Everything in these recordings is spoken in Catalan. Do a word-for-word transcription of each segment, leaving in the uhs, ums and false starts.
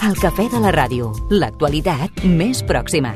El cafè de la ràdio, l'actualitat més pròxima.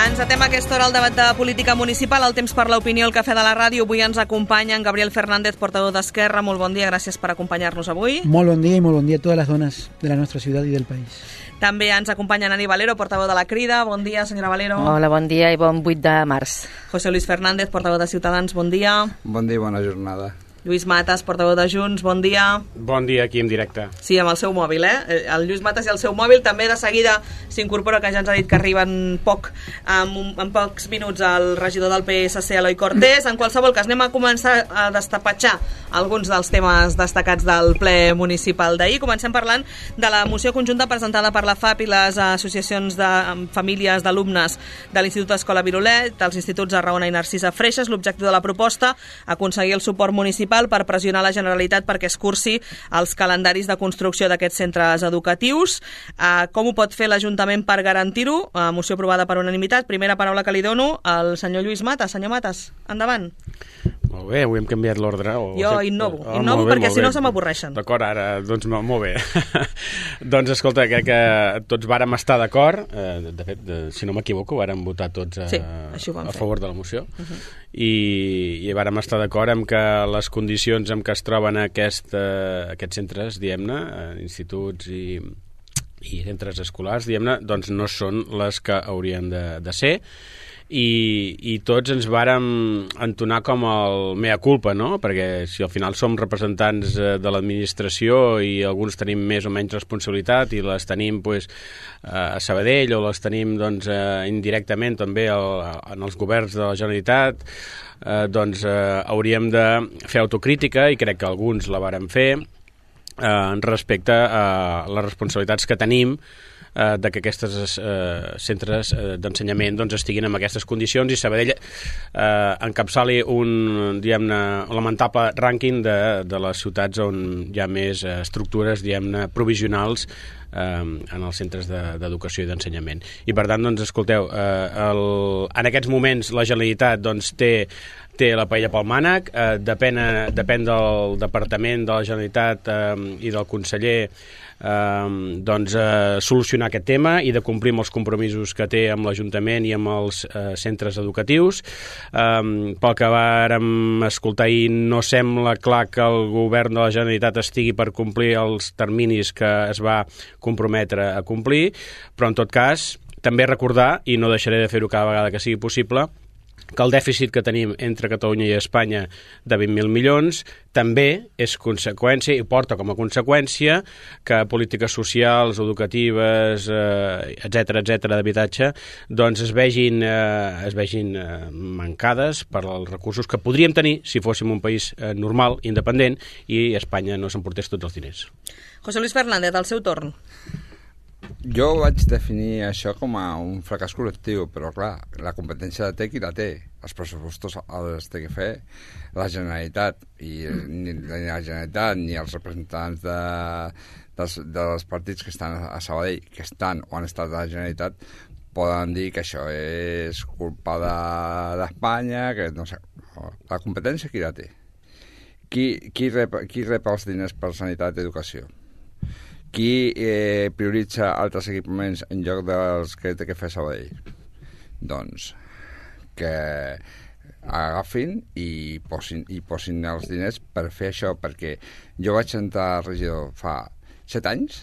Encetem a aquesta hora el debat de política municipal, el temps per l'opinió, el cafè de la ràdio. Avui ens acompanya en Gabriel Fernández, portador d'Esquerra. Molt bon dia, gràcies per acompanyar-nos avui. Molt bon dia i molt bon dia a totes les dones de la nostra ciutat i del país. També ens acompanya Nani Valero, portaveu de la Crida. Bon dia, senyora Valero. Hola, bon dia i bon vuit de març. José Luis Fernández, portaveu de Ciutadans. Bon dia. Bon dia i bona jornada. Lluís Matas, portaveu de Junts, bon dia. Bon dia, aquí en directe. Sí, amb el seu mòbil, eh? El Lluís Matas i el seu mòbil. També de seguida s'incorpora, que ja ens ha dit que arriben poc, en, en pocs minuts, el regidor del P S C, Eloi Cortés. En qualsevol cas, anem a començar a destapatxar alguns dels temes destacats del ple municipal d'ahir. Comencem parlant de la moció conjunta presentada per la F A P i les associacions de famílies d'alumnes de l'Institut Escola Virolet, dels instituts Arraona i Narcisa Freixas. L'objectiu de la proposta, aconseguir el suport municipal per pressionar la Generalitat perquè es cursi els calendaris de construcció d'aquests centres educatius. Uh, com ho pot fer l'Ajuntament per garantir-ho? Uh, moció aprovada per unanimitat. Primera paraula que li dono al senyor Lluís Matas. Senyor Matas, endavant. Molt bé, avui hem canviat l'ordre. O... Jo innovo, oh, innovo bé, perquè si no se m'avorreixen. D'acord, ara, doncs molt bé. Doncs escolta, crec que tots vàrem estar d'acord, eh, de fet, de, si no m'equivoco, vàrem votar tots a, sí, a favor de la moció, uh-huh. i, i vàrem estar d'acord amb que les condicions en què es troben aquest, eh, aquests centres, diguem-ne, instituts i, i centres escolars, diguem-ne, doncs no són les que haurien de, de ser. I, i tots ens vàrem entonar com el mea culpa, no? Perquè si al final som representants de l'administració i alguns tenim més o menys responsabilitat i les tenim pues, a Sabadell o les tenim doncs, indirectament també el, en els governs de la Generalitat, eh, doncs eh, hauríem de fer autocrítica, i crec que alguns la vàrem fer, eh, respecte a les responsabilitats que tenim eh, de que aquests eh, centres eh, d'ensenyament doncs, estiguin en aquestes condicions, i Sabadell eh, encapçali un diguem-ne lamentable rànquing de, de les ciutats on hi ha més eh, estructures diguem-ne provisionals eh, en els centres d'educació de, i d'ensenyament. I per tant, doncs, escolteu, eh, el, en aquests moments la Generalitat doncs, té té la paella pel mànec, eh, depèn, depèn del Departament de la Generalitat eh, i del conseller eh, doncs, eh, solucionar aquest tema i de complir amb els compromisos que té amb l'Ajuntament i amb els eh, centres educatius. Eh, pel que vàrem escoltar ahir, no sembla clar que el govern de la Generalitat estigui per complir els terminis que es va comprometre a complir, però en tot cas també recordar, i no deixaré de fer-ho cada vegada que sigui possible, que el dèficit que tenim entre Catalunya i Espanya de vint mil milions també és conseqüència i porta com a conseqüència que polítiques socials, educatives, eh, etcètera, etcètera, d'habitatge, doncs es vegin, eh, es vegin eh, mancades per als recursos que podríem tenir si fóssim un país eh, normal, independent, i Espanya no s'emportés tots els diners. José Luis Fernández, al seu torn. Jo vaig definir això com a un fracàs col·lectiu, però clar, la competència de té qui la té. Els pressupostos els té que fer la Generalitat, i ni la Generalitat ni els representants de, dels, dels partits que estan a Sabadell, que estan o han estat a la Generalitat, poden dir que això és culpa d'Espanya, de, que no sé, la competència qui la té? Qui, qui, rep, qui rep els diners per sanitat i educació? Qui eh, prioritza altres equipaments en lloc dels que té que fer Sabadell? Doncs que agafin i posin, i posin els diners per fer això, perquè jo vaig entrar a regidor fa set anys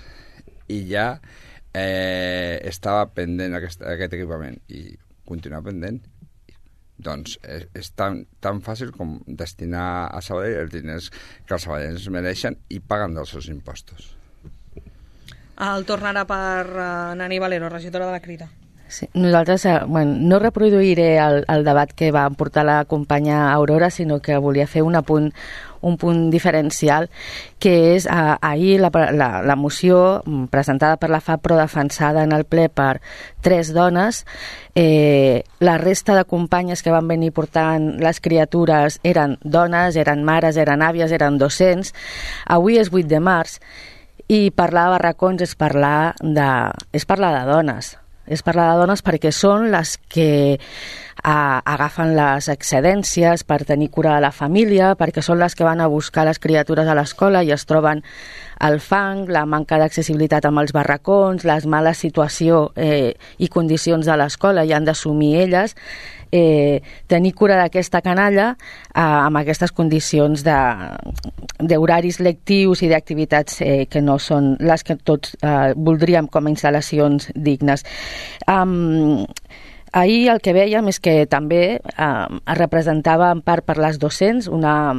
i ja eh, estava pendent aquest, aquest equipament i continua pendent. Doncs és, és tan, tan fàcil com destinar a Sabadell els diners que els sabadellencs mereixen i paguen dels seus impostos. El torn ara per uh, Nani Valero, regidora de la Crida. Sí, nosaltres, eh, bueno, no reproduiré el, el debat que va portar la companya Aurora, sinó que volia fer un apunt, un punt diferencial, que és eh, ahir la, la, la moció presentada per la F A P però defensada en el ple per tres dones. Eh, la resta de companyes que van venir portant les criatures eren dones, eren mares, eren àvies, eren docents. Avui és vuit de març i parlar de barracons és parlar de, és parlar de dones. És parlar de dones perquè són les que a, agafen les excedències per tenir cura de la família, perquè són les que van a buscar les criatures a l'escola i es troben el fang, la manca d'accessibilitat amb els barracons, les males situació eh, i condicions de l'escola, i han d'assumir elles eh, tenir cura d'aquesta canalla eh, amb aquestes condicions d'horaris lectius i d'activitats eh, que no són les que tots eh, voldríem com a instal·lacions dignes. Um, ahir el que vèiem és que també eh, es representava en part per les docents. Una,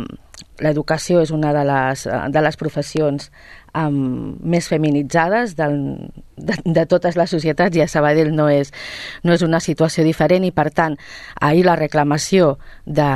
l'educació és una de les, de les professions um, més feminitzades del, de, de totes les societats, i a Sabadell no és, no és una situació diferent, i per tant ahir la reclamació de,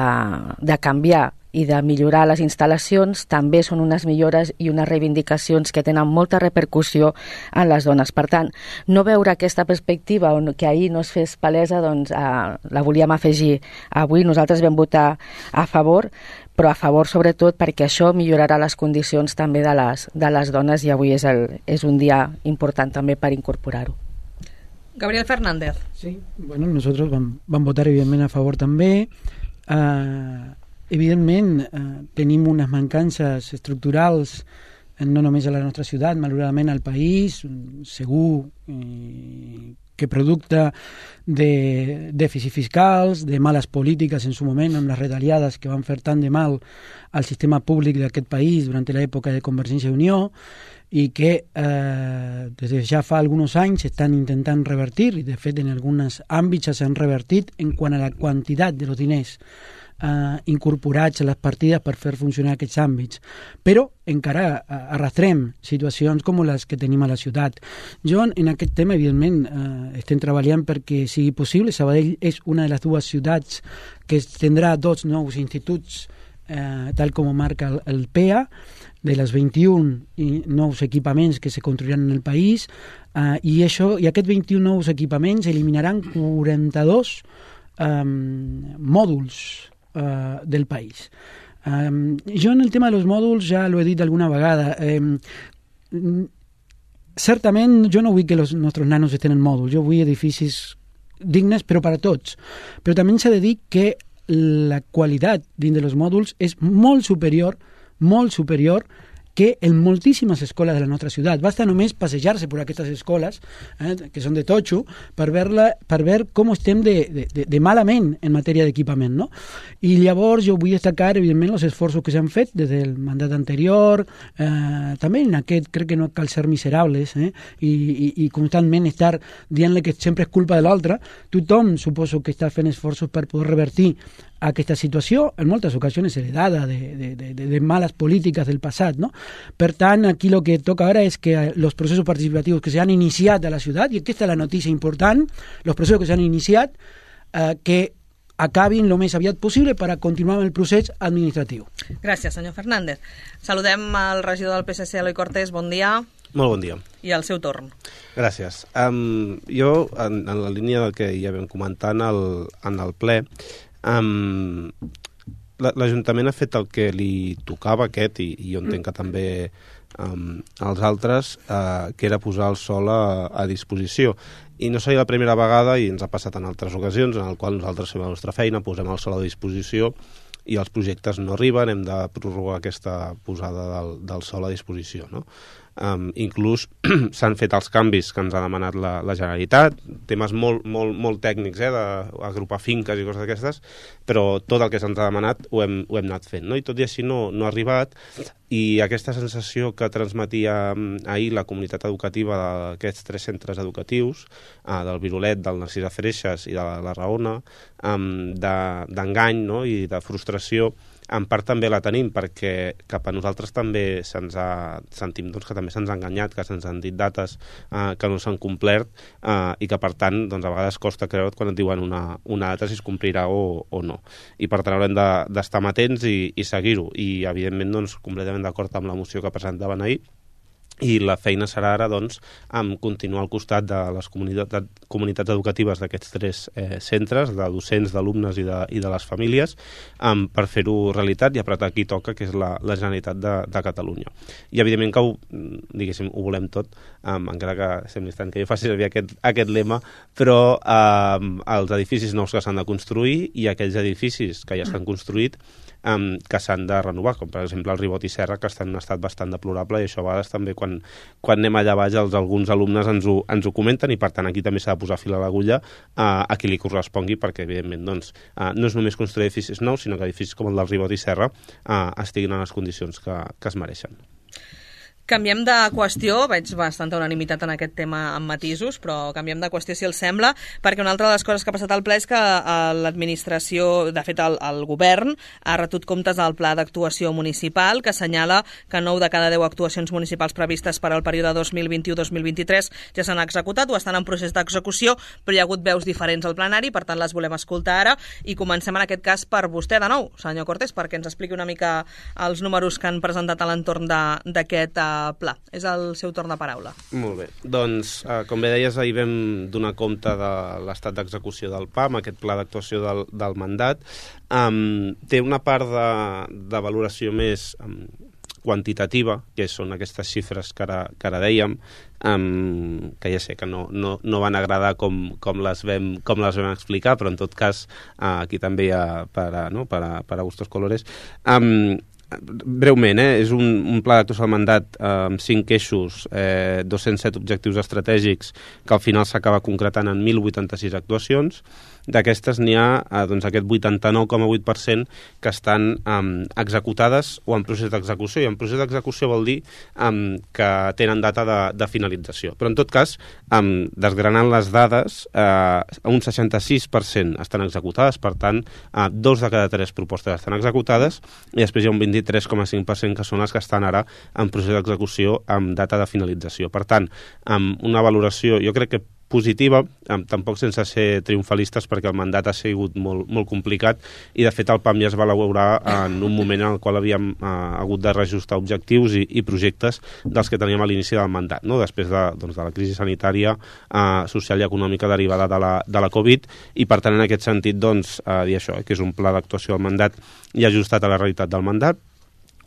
de canviar i de millorar les instal·lacions també són unes millores i unes reivindicacions que tenen molta repercussió en les dones. Per tant, no veure aquesta perspectiva que ahir no es fes palesa, doncs eh, la volíem afegir avui. Nosaltres vam votar a favor, però a favor sobretot perquè això millorarà les condicions també de les, de les dones, i avui és, el, és un dia important també per incorporar-ho. Gabriel Fernández. Sí, bueno, nosotros vam, vam votar evidentment a favor també. Uh, evidentment uh, tenim unes mancances estructurals no només a la nostra ciutat, malauradament al país, segur eh, que producte de dèficits fiscals, de males polítiques en su moment, amb les retallades que van fer tant de mal al sistema públic d'aquest país durant l'època de Convergència i Unió, i que eh, des de ja fa alguns anys estan intentant revertir, i de fet en alguns àmbits s'han revertit en quant a la quantitat de los diners Uh, incorporats a les partides per fer funcionar aquests àmbits, però encara uh, arrastrem situacions com les que tenim a la ciutat. Jo en aquest tema evidentment uh, estem treballant perquè sigui possible. Sabadell és una de les dues ciutats que tindrà dos nous instituts uh, tal com marca el, el P E A, de les vint-i-un nous equipaments que se construiran en el país, uh, i, això, i aquests vint-i-un nous equipaments eliminaran quaranta-dos um, mòduls Uh, del país. Um, jo en el tema de los mòduls ja l'he dit alguna vegada. Um, certament jo no vull que els nostres nanos estén en mòduls, jo vull edificis dignes però per a tots. Però també s'ha de dir que la qualitat dins dels mòduls és molt superior, molt superior que en moltíssimes escoles de la nostra ciutat. Basta només passejar-se per aquestes escoles, eh, que són de totxo, per veure per ver com estem de, de, de malament en matèria d'equipament, no? I llavors jo vull destacar, evidentment, els esforços que s'han fet des del mandat anterior, eh, també en aquest crec que no cal ser miserables, eh, i, i, i constantment estar dient-li que sempre és culpa de l'altre. Tothom suposo que està fent esforços per poder revertir aquesta situació, en moltes ocasions heredada de, de, de, de males polítiques del passat, no? Per tant, aquí el que toca ara és que els processos participatius que s'han iniciat a la ciutat, i aquesta és la notícia important, els processos que s'han iniciat, eh, que acabin el més aviat possible per a continuar amb el procés administratiu. Gràcies, senyor Fernández. Saludem al regidor del P S C, Eloi Cortés, bon dia. Molt bon dia. I al seu torn. Gràcies. Um, jo, en, en la línia del que ja vam comentar en el, en el ple, um, l'Ajuntament ha fet el que li tocava aquest, i, i jo entenc que també um, els altres, uh, que era posar el sòl a, a disposició. I no seria la primera vegada, i ens ha passat en altres ocasions, en el qual nosaltres fem la nostra feina, posem el sòl a disposició i els projectes no arriben, hem de prorrogar aquesta posada del, del sòl a disposició, no? Um, inclús s'han fet els canvis que ens ha demanat la, la Generalitat, temes molt, molt, molt tècnics, eh, d'agrupar finques i coses d'aquestes, però tot el que se'ns ha demanat ho hem, ho hem anat fent, no? I tot i així no, no ha arribat, i aquesta sensació que transmetia ahir la comunitat educativa d'aquests tres centres educatius, eh, del Virolet, del Narcís de Freixes i de la, la Raona, um, d'engany, no? I de frustració, en part també la tenim perquè cap a nosaltres també se'ns ha, sentim doncs, que també se'ns ha enganyat, que se'ns han dit dates eh, que no s'han complert eh, i que per tant doncs, a vegades costa creure quan et diuen una, una data si es complirà o, o no. I per tant haurem d'estar de, amatents i, i seguir-ho. I evidentment doncs, completament d'acord amb la moció que presentaven ahir, i la feina serà ara doncs, amb continuar al costat de les comunitats, comunitats educatives d'aquests tres eh, centres, de docents, d'alumnes i, de, i de les famílies, um, per fer-ho realitat i apretar qui toca, que és la, la Generalitat de, de Catalunya. I evidentment que ho, diguéssim, ho volem tot, um, encara que sembli tant que jo faci servir aquest, aquest lema, però um, els edificis nous que s'han de construir i aquells edificis que ja estan construïts um, que s'han de renovar, com per exemple el Ribot i Serra, que estan en un estat bastant deplorable, i això a vegades també quan, quan anem allà baix els, alguns alumnes ens ho, ens ho comenten, i per tant aquí també s'ha de posar fil a l'agulla uh, a qui li correspongui, perquè evidentment doncs, uh, no és només construir edificis nous, sinó que edificis com el del Ribot i Serra uh, estiguin en les condicions que, que es mereixen. Canviem de qüestió, veig bastanta unanimitat en aquest tema amb matisos, però canviem de qüestió si els sembla, perquè una altra de les coses que ha passat al ple és que l'administració, de fet el, el govern, ha retut comptes al pla d'actuació municipal, que assenyala que nou de cada deu actuacions municipals previstes per al període dos mil vint-u dos mil vint-i-tres ja s'han executat o estan en procés d'execució, però hi ha hagut veus diferents al plenari, per tant les volem escoltar ara, i comencem en aquest cas per vostè de nou, senyor Cortés, perquè ens expliqui una mica els números que han presentat a l'entorn d'aquest pla. És el seu torn de paraula. Molt bé. Doncs, eh, com bé deies, ahir vam donar compte de l'estat d'execució del P A M, aquest pla d'actuació del, del mandat. Um, té una part de, de valoració més um, quantitativa, que són aquestes xifres que ara, que ara dèiem, um, que ja sé que no, no, no van agradar com, com, les vam, com les vam explicar, però en tot cas, uh, aquí també hi ha per a, no? per a, per a gustos colores. Um, Breument, eh? és un, un pla d'actuació del mandat eh, amb cinc eixos, eh, dos-cents set objectius estratègics que al final s'acaba concretant en mil vuitanta-sis actuacions. D'aquestes n'hi ha eh, doncs aquest vuitanta-nou coma vuit per cent que estan eh, executades o en procés d'execució, i en procés d'execució vol dir eh, que tenen data de, de finalització. Però en tot cas, eh, desgranant les dades, eh, un seixanta-sis per cent estan executades, per tant, eh, dos de cada tres propostes estan executades, i després hi ha un vint-i-tres coma cinc per cent que són les que estan ara en procés d'execució amb data de finalització. Per tant, amb una valoració, jo crec que positiva, tampoc sense ser triomfalistes, perquè el mandat ha sigut molt, molt complicat, i de fet el P A M ja es va elaborar en un moment en el qual havíem eh, hagut de reajustar objectius i, i projectes dels que teníem a l'inici del mandat, no? Després de, doncs, de la crisi sanitària, eh, social i econòmica derivada de la, de la Covid, i per tant en aquest sentit doncs, eh, dir això, que és un pla d'actuació del mandat i ajustat a la realitat del mandat.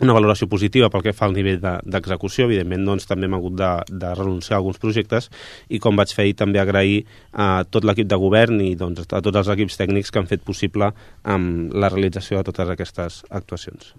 Una valoració positiva pel que fa al nivell d'execució, de, evidentment doncs, també hem hagut de, de renunciar a alguns projectes, i com vaig fer ahir també agrair a tot l'equip de govern i doncs, a tots els equips tècnics que han fet possible um, la realització de totes aquestes actuacions.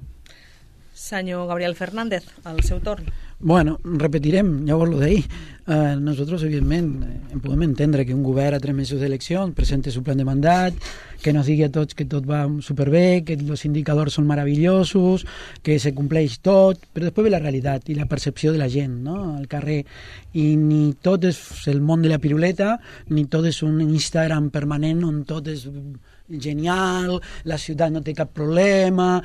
Senyor Gabriel Fernández, el seu torn. Bueno, repetirem, llavors lo d'ahir. Uh, nosotros, evidentment, eh, podem entendre que un govern a tres mesos d'eleccions presente su plan de mandat, que nos digui a tots que tot va superbé, que els indicadors són meravellosos, que se compleix tot, però després ve la realitat i la percepció de la gent, no?, al carrer. I ni tot és el món de la piruleta, ni tot és un Instagram permanent on tot és genial, la ciutat no té cap problema.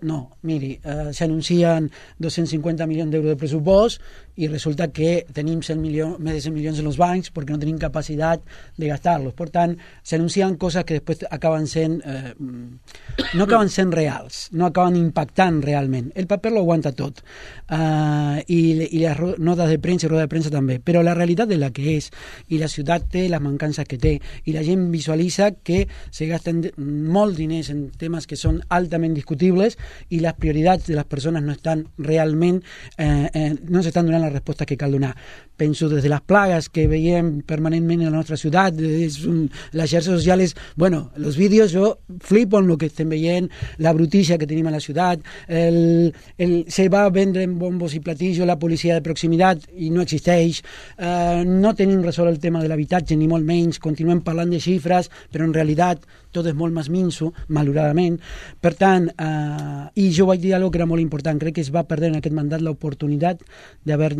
No, miri, eh, s'anuncien dos-cents cinquanta milions d'euros de pressupost i resulta que tenim cent milions, més de cent milions en els bancs perquè no tenim capacitat de gastar-los. Per tant, s'anuncien coses que després acaben sent eh, no acaben sent reals, no acaben impactant realment. El paper lo aguanta tot, eh, i, i les notes de premsa i roda de premsa també, però la realitat és la que és, i la ciutat té les mancances que té, i la gent visualitza que se gasten molts diners en temes que són altament discutibles i les prioritats de les persones no estan realment eh, eh, no s'estan donant la resposta que cal donar. Penso des de les plagues que veiem permanentment en la nostra ciutat, és un, les xarxes socials, bueno, els vídeos jo flipo amb el que estem veient, la brutícia que tenim a la ciutat, el, el, se va vendre en bombos i platillos la policia de proximitat i no existeix, eh, no tenim resolt el tema de l'habitatge ni molt menys, continuem parlant de xifres però en realitat tot és molt més minso, malauradament. Per tant, eh, i jo vaig dir alguna que era molt important, crec que es va perdre en aquest mandat l'oportunitat d'haver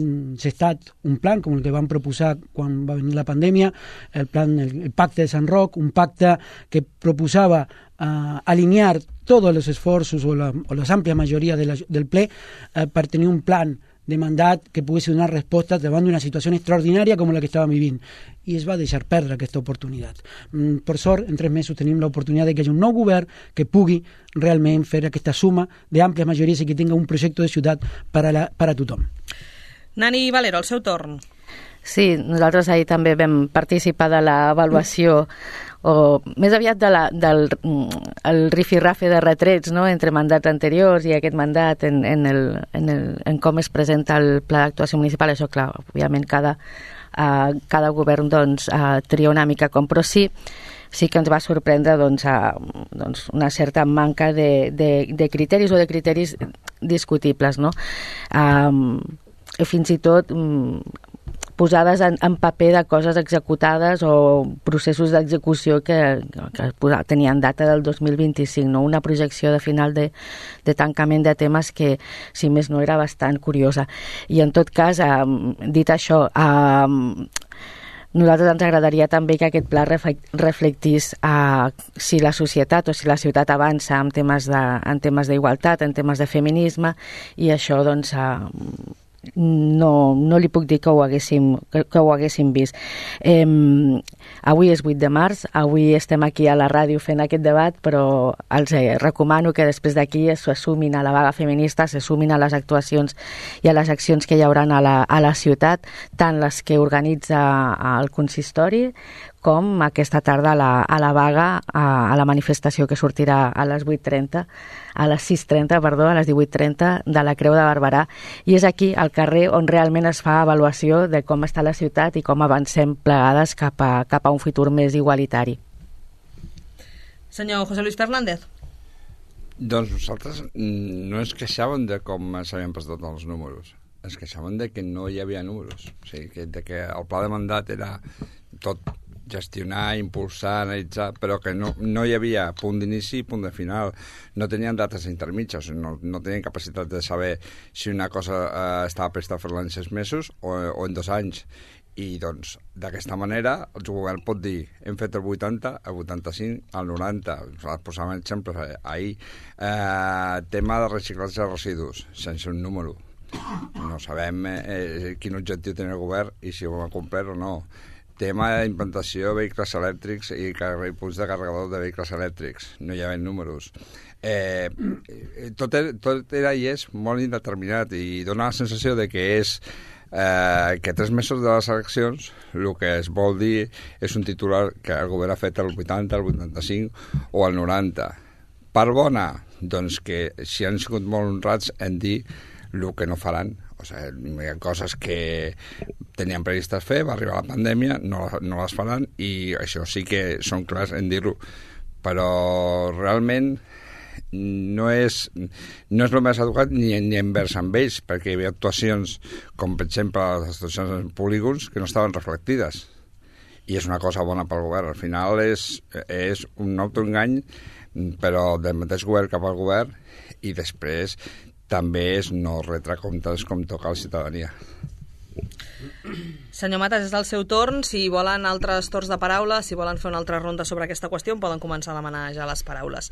gestat un plan com el que van proposar quan va venir la pandèmia, el plan, el, el pacte de Sant Roc, un pacte que proposava eh, alinear tots els esforços o la, o les àmplies majoria de la, del ple eh, per tenir un plan de mandat que pogués donar resposta davant d'una situació extraordinària com la que estàvem vivint. I es va deixar perdre aquesta oportunitat. Mm, per sort, en tres mesos tenim l'oportunitat de que hi hagi un nou govern que pugui realment fer aquesta suma d'àmplies majories i que tingui un projecte de ciutat per a, la, per a tothom. Nani Valero, al seu torn. Sí, nosaltres ahir també vam participar de l'avaluació o més aviat de la, del el rifirrafe de retrets, no?, entre mandats anteriors i aquest mandat en, en, el, en, el, en com es presenta el pla d'actuació municipal. Això, clar, òbviament cada, uh, cada govern doncs, uh, tria una mica com, però sí sí que ens va sorprendre doncs, uh, doncs una certa manca de, de, de criteris o de criteris discutibles, no? Um, fins i tot um, posades en, en paper de coses executades o processos d'execució que, que tenien data del dos mil vint-i-cinc, no? Una projecció de final de, de tancament de temes que, si més no, era bastant curiosa. I en tot cas, eh, dit això, eh, nosaltres ens agradaria també que aquest pla reflectís eh, si la societat o si la ciutat avança en temes de, en temes d'igualtat, en temes de feminisme, i això, doncs, eh, no, no li puc dir que ho haguéssim, que, que ho haguéssim vist. Eh, avui és vuit de març, avui estem aquí a la ràdio fent aquest debat, però els eh, recomano que després d'aquí s'assumin a la vaga feminista, s'assumin a les actuacions i a les accions que hi haurà a la, a la ciutat, tant les que organitza el consistori com aquesta tarda a la, a la vaga, a, a la manifestació que sortirà a les vuit trenta, a les sis trenta, perdó, a les divuit trenta de la Creu de Barberà. I és aquí, al carrer, on realment es fa avaluació de com està la ciutat i com avancem plegades cap a, cap a un futur més igualitari. Senyor José Luis Fernández. Doncs nosaltres no ens queixàvem de com s'havien presentat els números. Ens queixàvem de que no hi havia números. O sigui, que, de que el pla de mandat era tot gestionar, impulsar, analitzar, però que no, no hi havia punt d'inici i punt de final. No tenien dates intermitges, no, no tenien capacitat de saber si una cosa eh, estava presta a fer-la en sis mesos o, o en dos anys. I, doncs, d'aquesta manera, el govern pot dir hem fet el vuitanta, el vuitanta-cinc, el noranta. Posàvem exemples ahir. Eh, tema de reciclatge de residus, sense un número. No sabem eh, quin objectiu té el govern i si ho va complir o no. Tema d'implantació de vehicles elèctrics i, i punts de carregador de vehicles elèctrics. No hi ha números. Eh, tot, era, tot era i és molt indeterminat i dona la sensació de que és eh, que tres mesos de les eleccions el que es vol dir és un titular que el govern ha fet el vuitanta, el vuitanta-cinc o el noranta. Part bona? Doncs que si han sigut molt honrats en dir el que no faran. O sigui, hi ha coses que tenien previstes fer, va arribar la pandèmia, no, no les faran, i això sí que són clars en dir-ho. Però realment no és, no és el més educat ni, ni envers amb ells, perquè hi havia actuacions, com per exemple les actuacions en polígons, que no estaven reflectides. I és una cosa bona pel govern. Al final és, és un autoengany, però del mateix govern cap al govern, i després també és no retre comptes com toca a la ciutadania. Senyor Matas, és el seu torn. Si volen altres torns de paraula, si volen fer una altra ronda sobre aquesta qüestió, poden començar a demanar ja les paraules.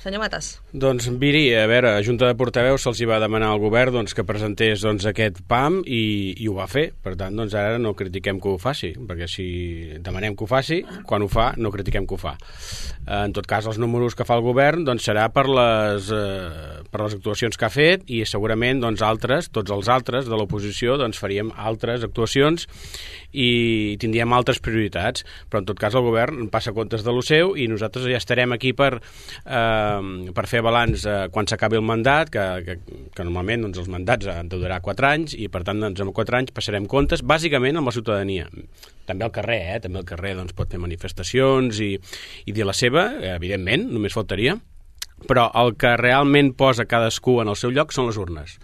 Senyor Matas. Doncs, Viri, a veure, a Junta de Portaveus se'ls hi va demanar al govern doncs, que presentés doncs, aquest P A M i, i ho va fer. Per tant, doncs, ara no critiquem que ho faci, perquè si demanem que ho faci, quan ho fa, no critiquem que ho fa. En tot cas, els números que fa el govern doncs, serà per les, eh, per les actuacions que ha fet i segurament doncs, altres, tots els altres de l'oposició doncs, faríem altres actuacions i tindríem altres prioritats, però en tot cas el govern passa comptes de lo seu i nosaltres ja estarem aquí per, eh, per fer balanç eh, quan s'acabi el mandat, que, que, que normalment doncs, els mandats han de durar quatre anys i per tant doncs, en quatre anys passarem comptes bàsicament amb la ciutadania. També al carrer, eh? També al carrer doncs, pot fer manifestacions i, i dir la seva, evidentment, només faltaria, però el que realment posa cadascú en el seu lloc són les urnes.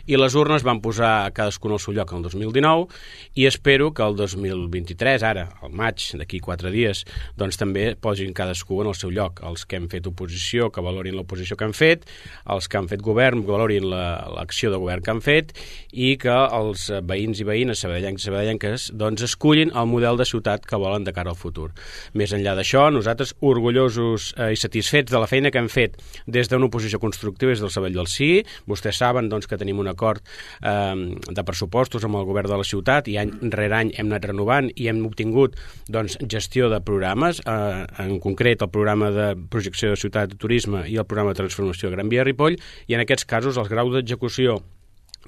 i les urnes van posar cadascun al seu lloc el dos mil dinou, i espero que el dos mil vint-i-tres, ara, al maig, d'aquí quatre dies, doncs també posin cadascú en el seu lloc. Els que hem fet oposició, que valorin l'oposició que han fet, els que han fet govern, que valorin l'acció de govern que han fet, i que els veïns i veïnes, sabadellencs i sabadellenques, doncs escullin el model de ciutat que volen de cara al futur. Més enllà d'això, nosaltres orgullosos eh, i satisfets de la feina que hem fet des d'una oposició constructiva des del Sabadell del Sí. Vostès saben doncs, que tenim un acord eh, de pressupostos amb el govern de la ciutat i any rere any hem anat renovant i hem obtingut doncs, gestió de programes, eh, en concret el programa de projecció de ciutat de turisme i el programa de transformació de Gran Via Ripoll, i en aquests casos els graus d'execució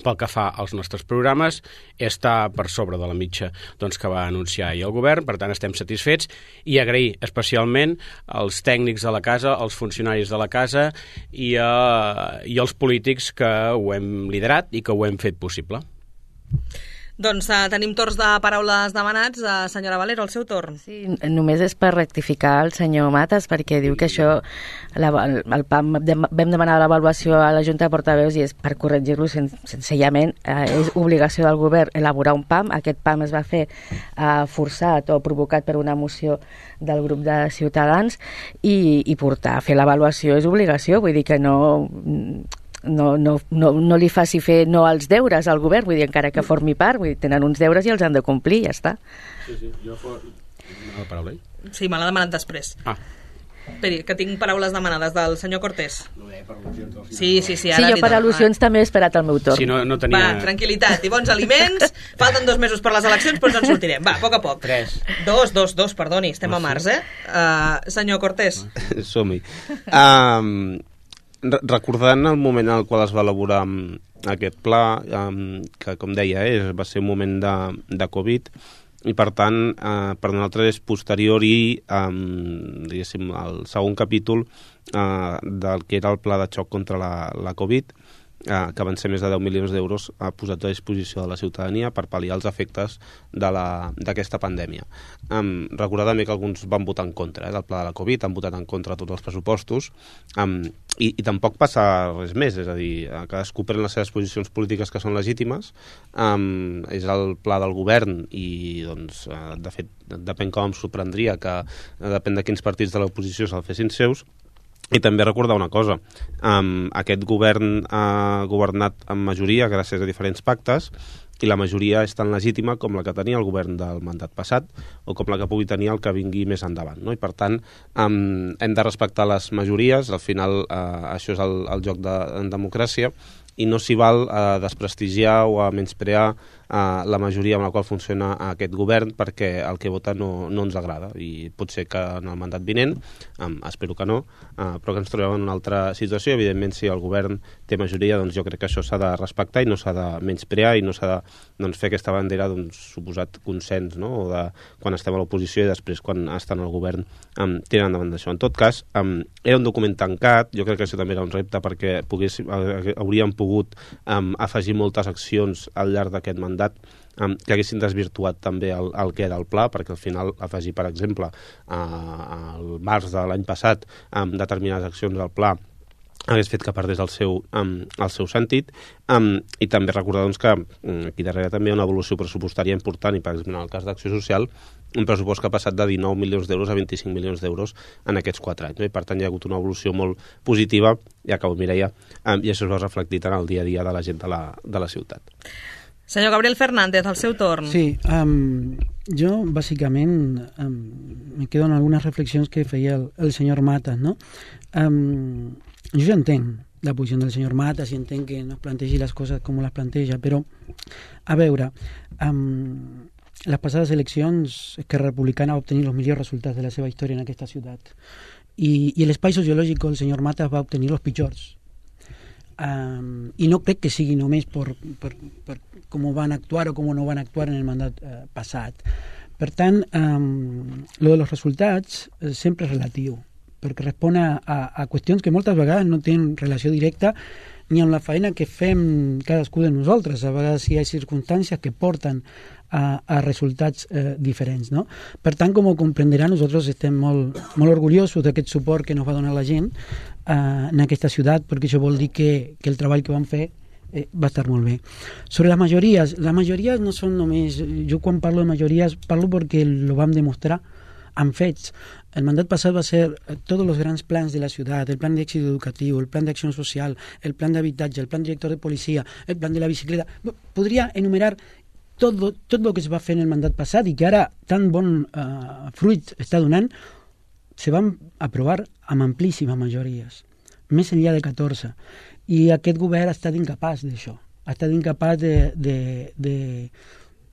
pel que fa als nostres programes està per sobre de la mitja doncs, que va anunciar ahir el govern. Per tant estem satisfets, i agrair especialment als tècnics de la casa, als funcionaris de la casa i, a, i als polítics que ho hem liderat i que ho hem fet possible. Doncs uh, tenim torns de paraules demanats. Uh, senyora Valero, el seu torn. Sí, només és per rectificar el senyor Matas, perquè diu que això, la, el P A M, vam demanar l'avaluació a la Junta de Portaveus i és per corregir-lo sen, senzillament. Eh, és obligació del govern elaborar un P A M. Aquest P A M es va fer eh, forçat o provocat per una moció del grup de Ciutadans i, i portar a fer l'avaluació és obligació, vull dir que no... No, no, no, no li faci fer no els deures al govern, vull dir, encara que formi part, vull dir, tenen uns deures i els han de complir, ja està. Sí, sí, jo for... La paraula? Sí, me l'ha demanat després. Ah. Esperi, que tinc paraules demanades del senyor Cortés. Sí, sí, sí. Ara sí, jo per al·lusions també he esperat el meu torn. Sí, no, no tenia... Va, tranquil·litat i bons aliments. Falten dos mesos per les eleccions, però ens en sortirem. Va, a poc a poc. Tres. Dos, dos, dos, perdoni, estem a març, eh? Uh, senyor Cortés. Som-hi. Um... Recordant el moment en el qual es va elaborar aquest pla, que com deia eh, va ser un moment de, de Covid, i per tant eh, per nosaltres és posterior i eh, diguéssim el segon capítol eh, del que era el pla de xoc contra la, la Covid, eh, que van ser més de deu milions d'euros eh, posats a disposició de la ciutadania per pal·liar els efectes d'aquesta pandèmia. Um, recordar també que alguns van votar en contra eh, del pla de la Covid, han votat en contra tots els pressupostos, um, i, i tampoc passa res més, és a dir, cadascú pren les seves posicions polítiques que són legítimes, um, és el pla del govern i doncs, uh, de fet, depèn com em sorprendria que uh, depèn de quins partits de l'oposició se'l fessin seus. I també recordar una cosa, um, aquest govern ha governat amb majoria gràcies a diferents pactes, i la majoria és tan legítima com la que tenia el govern del mandat passat o com la que pugui tenir el que vingui més endavant, no? I per tant um, hem de respectar les majories, al final uh, això és el, el joc de, en democràcia, i no s'hi val a desprestigiar o a menysprear uh, la majoria amb la qual funciona aquest govern, perquè el que vota no, no ens agrada, i pot ser que en el mandat vinent, um, espero que no, uh, però que ens trobem en una altra situació. Evidentment, si el govern té majoria, doncs jo crec que això s'ha de respectar i no s'ha de menysprear i no s'ha de doncs, fer aquesta bandera d'un suposat consens, no? O de quan estem a l'oposició i després quan estan al govern um, tiren endavant d'això. En tot cas, um, era un document tancat, jo crec que això també era un repte perquè pogués, hauríem pogut um, afegir moltes accions al llarg d'aquest mandat um, que haguessin desvirtuat també el, el que era el pla, perquè al final afegir, per exemple, uh, al març de l'any passat um, determinades accions al pla hagués fet que perdés el seu, um, el seu sentit, um, i també recordar doncs, que um, aquí darrere també hi ha una evolució pressupostària important, i per exemple en el cas d'Acció Social un pressupost que ha passat de dinou milions d'euros a vint-i-cinc milions d'euros en aquests quatre anys, no? I per tant hi ha hagut una evolució molt positiva, ja acabo Mireia, um, i això es va reflectit en el dia a dia de la gent de la, de la ciutat. Senyor Gabriel Fernández, el seu torn. Sí, um, jo bàsicament um, me quedo en algunes reflexions que feia el, el senyor Matas, no? Um, jo ja entenc la posició del senyor Matas i entenc que no es plantegi les coses com les planteja, però a veure, um, les passades eleccions Esquerra Republicana va obtenir els millors resultats de la seva història en aquesta ciutat i, i l'espai sociològic el senyor Matas va obtenir els pitjors. Um, i no crec que sigui només per, per, per com van actuar o com no van actuar en el mandat uh, passat. Per tant, um, lo de los resultats uh, sempre és relatiu, perquè respon a, a, a qüestions que moltes vegades no tenen relació directa ni amb la feina que fem cadascú de nosaltres. A vegades hi ha circumstàncies que porten a, a resultats eh, diferents, no? Per tant, com ho comprendrà, nosaltres estem molt, molt orgullosos d'aquest suport que ens va donar la gent eh, en aquesta ciutat, perquè això vol dir que, que el treball que vam fer eh, va estar molt bé. Sobre les majories, les majories no són només... Jo quan parlo de majories parlo perquè lo vam demostrar amb fets. El mandat passat va ser tots els grans plans de la ciutat, el plan d'èxit educatiu, el plan d'acció social, el plan d'habitatge, el plan director de policia, el plan de la bicicleta. Podria enumerar tot, tot el que es va fer en el mandat passat i que ara tan bon uh, fruit està donant, se van aprovar amb amplíssimes majories, més enllà de catorze. I aquest govern ha estat incapaç d'això, ha estat incapaç de, de, de,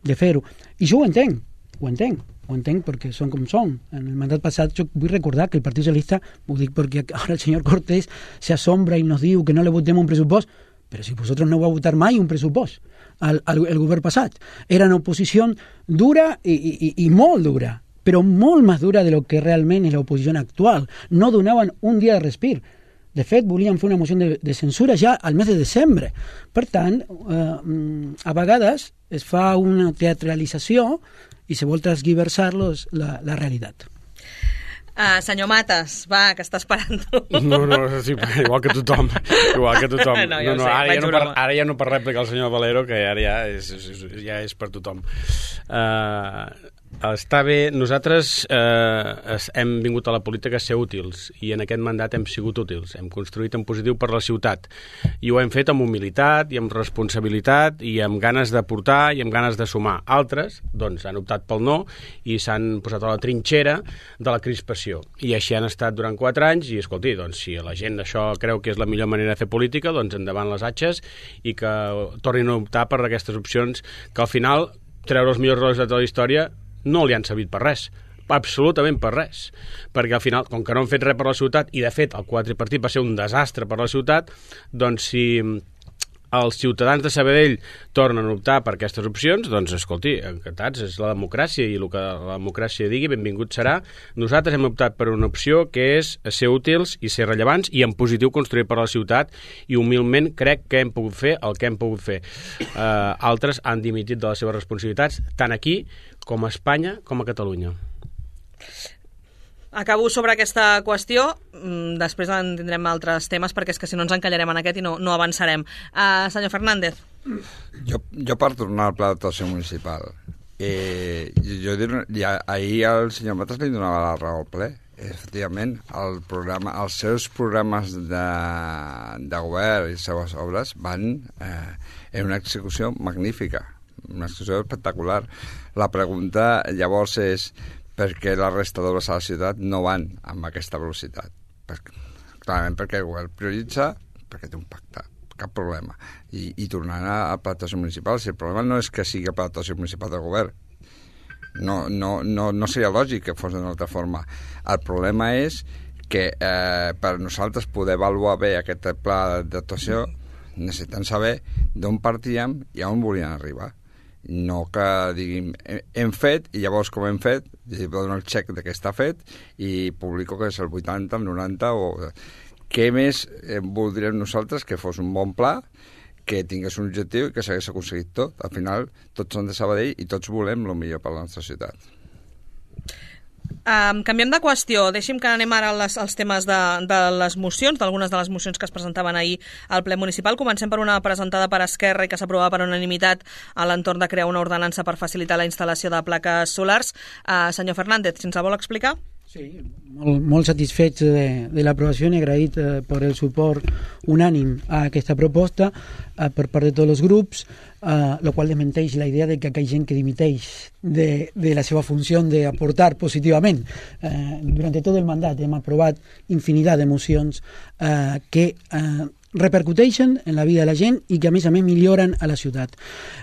de fer-ho. I jo ho entenc, ho entenc, ho entenc perquè són com són. En el mandat passat jo vull recordar que el Partit Socialista, ho dic perquè ara el senyor Cortés se asombra i nos diu que no le votem un pressupost, però si vosaltres no vau votar mai un pressupost al, al el govern passat. Era una oposició dura i, i, i molt dura, però molt més dura de lo que realment és l'oposició actual. No donaven un dia de respir. De fet, volien fer una moció de, de censura ja al mes de desembre. Per tant, eh, a vegades es fa una teatralització i se vol transgiversar-los la, la realitat. Uh, senyor Matas, va, que està esperant. No, no, sí, igual que tothom. Igual que tothom. No, ja no, no, sé, ara, ja no per, broma. ara ja no per rèplica el senyor Valero, que ara ja és, és, ja és per tothom. Uh, està bé. Nosaltres eh, hem vingut a la política a ser útils i en aquest mandat hem sigut útils. Hem construït en positiu per la ciutat i ho hem fet amb humilitat i amb responsabilitat i amb ganes de portar i amb ganes de sumar. Altres, doncs, han optat pel no i s'han posat a la trinxera de la crispació. I així han estat durant quatre anys i, escolti, doncs, si la gent això creu que és la millor manera de fer política, doncs endavant les atxes i que tornin a optar per aquestes opcions que al final treure els millors resultats de la història no li han servit per res, absolutament per res, perquè al final, com que no han fet res per la ciutat, i de fet el quadripartit va ser un desastre per la ciutat, doncs si els ciutadans de Sabadell tornen a optar per aquestes opcions, doncs escolti, encantats, és la democràcia i el que la democràcia digui, benvingut serà. Nosaltres hem optat per una opció que és ser útils i ser rellevants i en positiu construir per la ciutat i humilment crec que hem pogut fer el que hem pogut fer. Uh, altres han dimitit de les seves responsabilitats tant aquí com a Espanya com a Catalunya. Acabo sobre aquesta qüestió, després en tindrem altres temes perquè és que si no ens encallarem en aquest i no, no avançarem. Uh, senyor Fernández. Jo, jo per tornar al pla d'actuació municipal, eh, jo, jo ja, ahir el senyor Matas li donava la raó al ple. Efectivament, el programa, els seus programes de, de govern i les seves obres van eh, en una execució magnífica, una execució espectacular. La pregunta llavors és per què la resta d'obres a la ciutat no van amb aquesta velocitat. Perquè, clarament perquè el govern prioritza, perquè té un pacte, cap problema. I, i tornant a, a plantació municipal, si el problema no és que sigui a plantació municipal del govern, no, no, no, no seria lògic que fos d'una altra forma. El problema és que eh, per nosaltres poder avaluar bé aquest pla d'actuació necessitem saber d'on partíem i a on volien arribar. No que diguin hem fet i llavors com hem fet dono el xec de que està fet i publico que és el vuitanta, el noranta o... Què més eh, voldríem nosaltres que fos un bon pla, que tingués un objectiu i que s'hagués aconseguit tot. Al final tots són de Sabadell i tots volem el millor per la nostra ciutat. Um, canviem de qüestió, deixi'm que anem ara als, als temes de, de les mocions, d'algunes de les mocions que es presentaven ahir al ple municipal. Comencem per una presentada per Esquerra i que s'aprovava per unanimitat a l'entorn de crear una ordenança per facilitar la instal·lació de plaques solars. Uh, senyor Fernández, si ens la vol explicar? Sí, molt, molt satisfets de, de l'aprovació i agraït eh, per el suport unànim a aquesta proposta eh, per part de tots els grups, eh, lo qual desmenteix la idea de que hi ha gent que dimiteix de, de la seva funció d'aportar positivament. Eh, durant tot el mandat hem aprovat infinitat de mocions eh, que eh, repercuteixen en la vida de la gent i que a més a més milloren a la ciutat.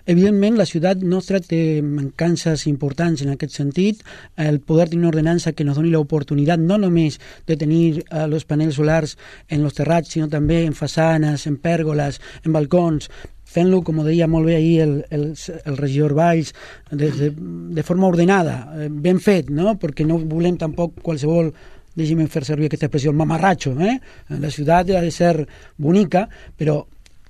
Evidentment la ciutat nostra té mancances importants en aquest sentit. El poder tenir una ordenança que ens doni l'oportunitat no només de tenir eh, els panells solars en els terrats, sinó també en façanes, en pèrgoles, en balcons, fent-lo, com ho deia molt bé ahir el, el, el regidor Valls, de, de, de forma ordenada, ben fet, no? Perquè no volem tampoc qualsevol, deixi'm fer servir aquesta expressió, el mamarratxo, eh? La ciutat ha de ser bonica, però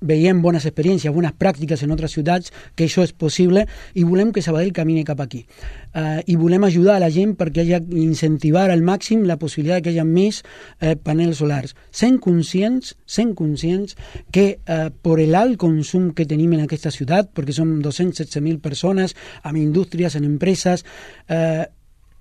veiem bones experiències, bones pràctiques en altres ciutats, que això és possible, i volem que Sabadell camini cap aquí. Uh, I volem ajudar a la gent perquè hagi incentivar al màxim la possibilitat que hi hagi més uh, panels solars. Sent conscients, sent conscients que uh, per l'alt consum que tenim en aquesta ciutat, perquè som dos-cents setze mil persones, amb indústries, en empreses, uh,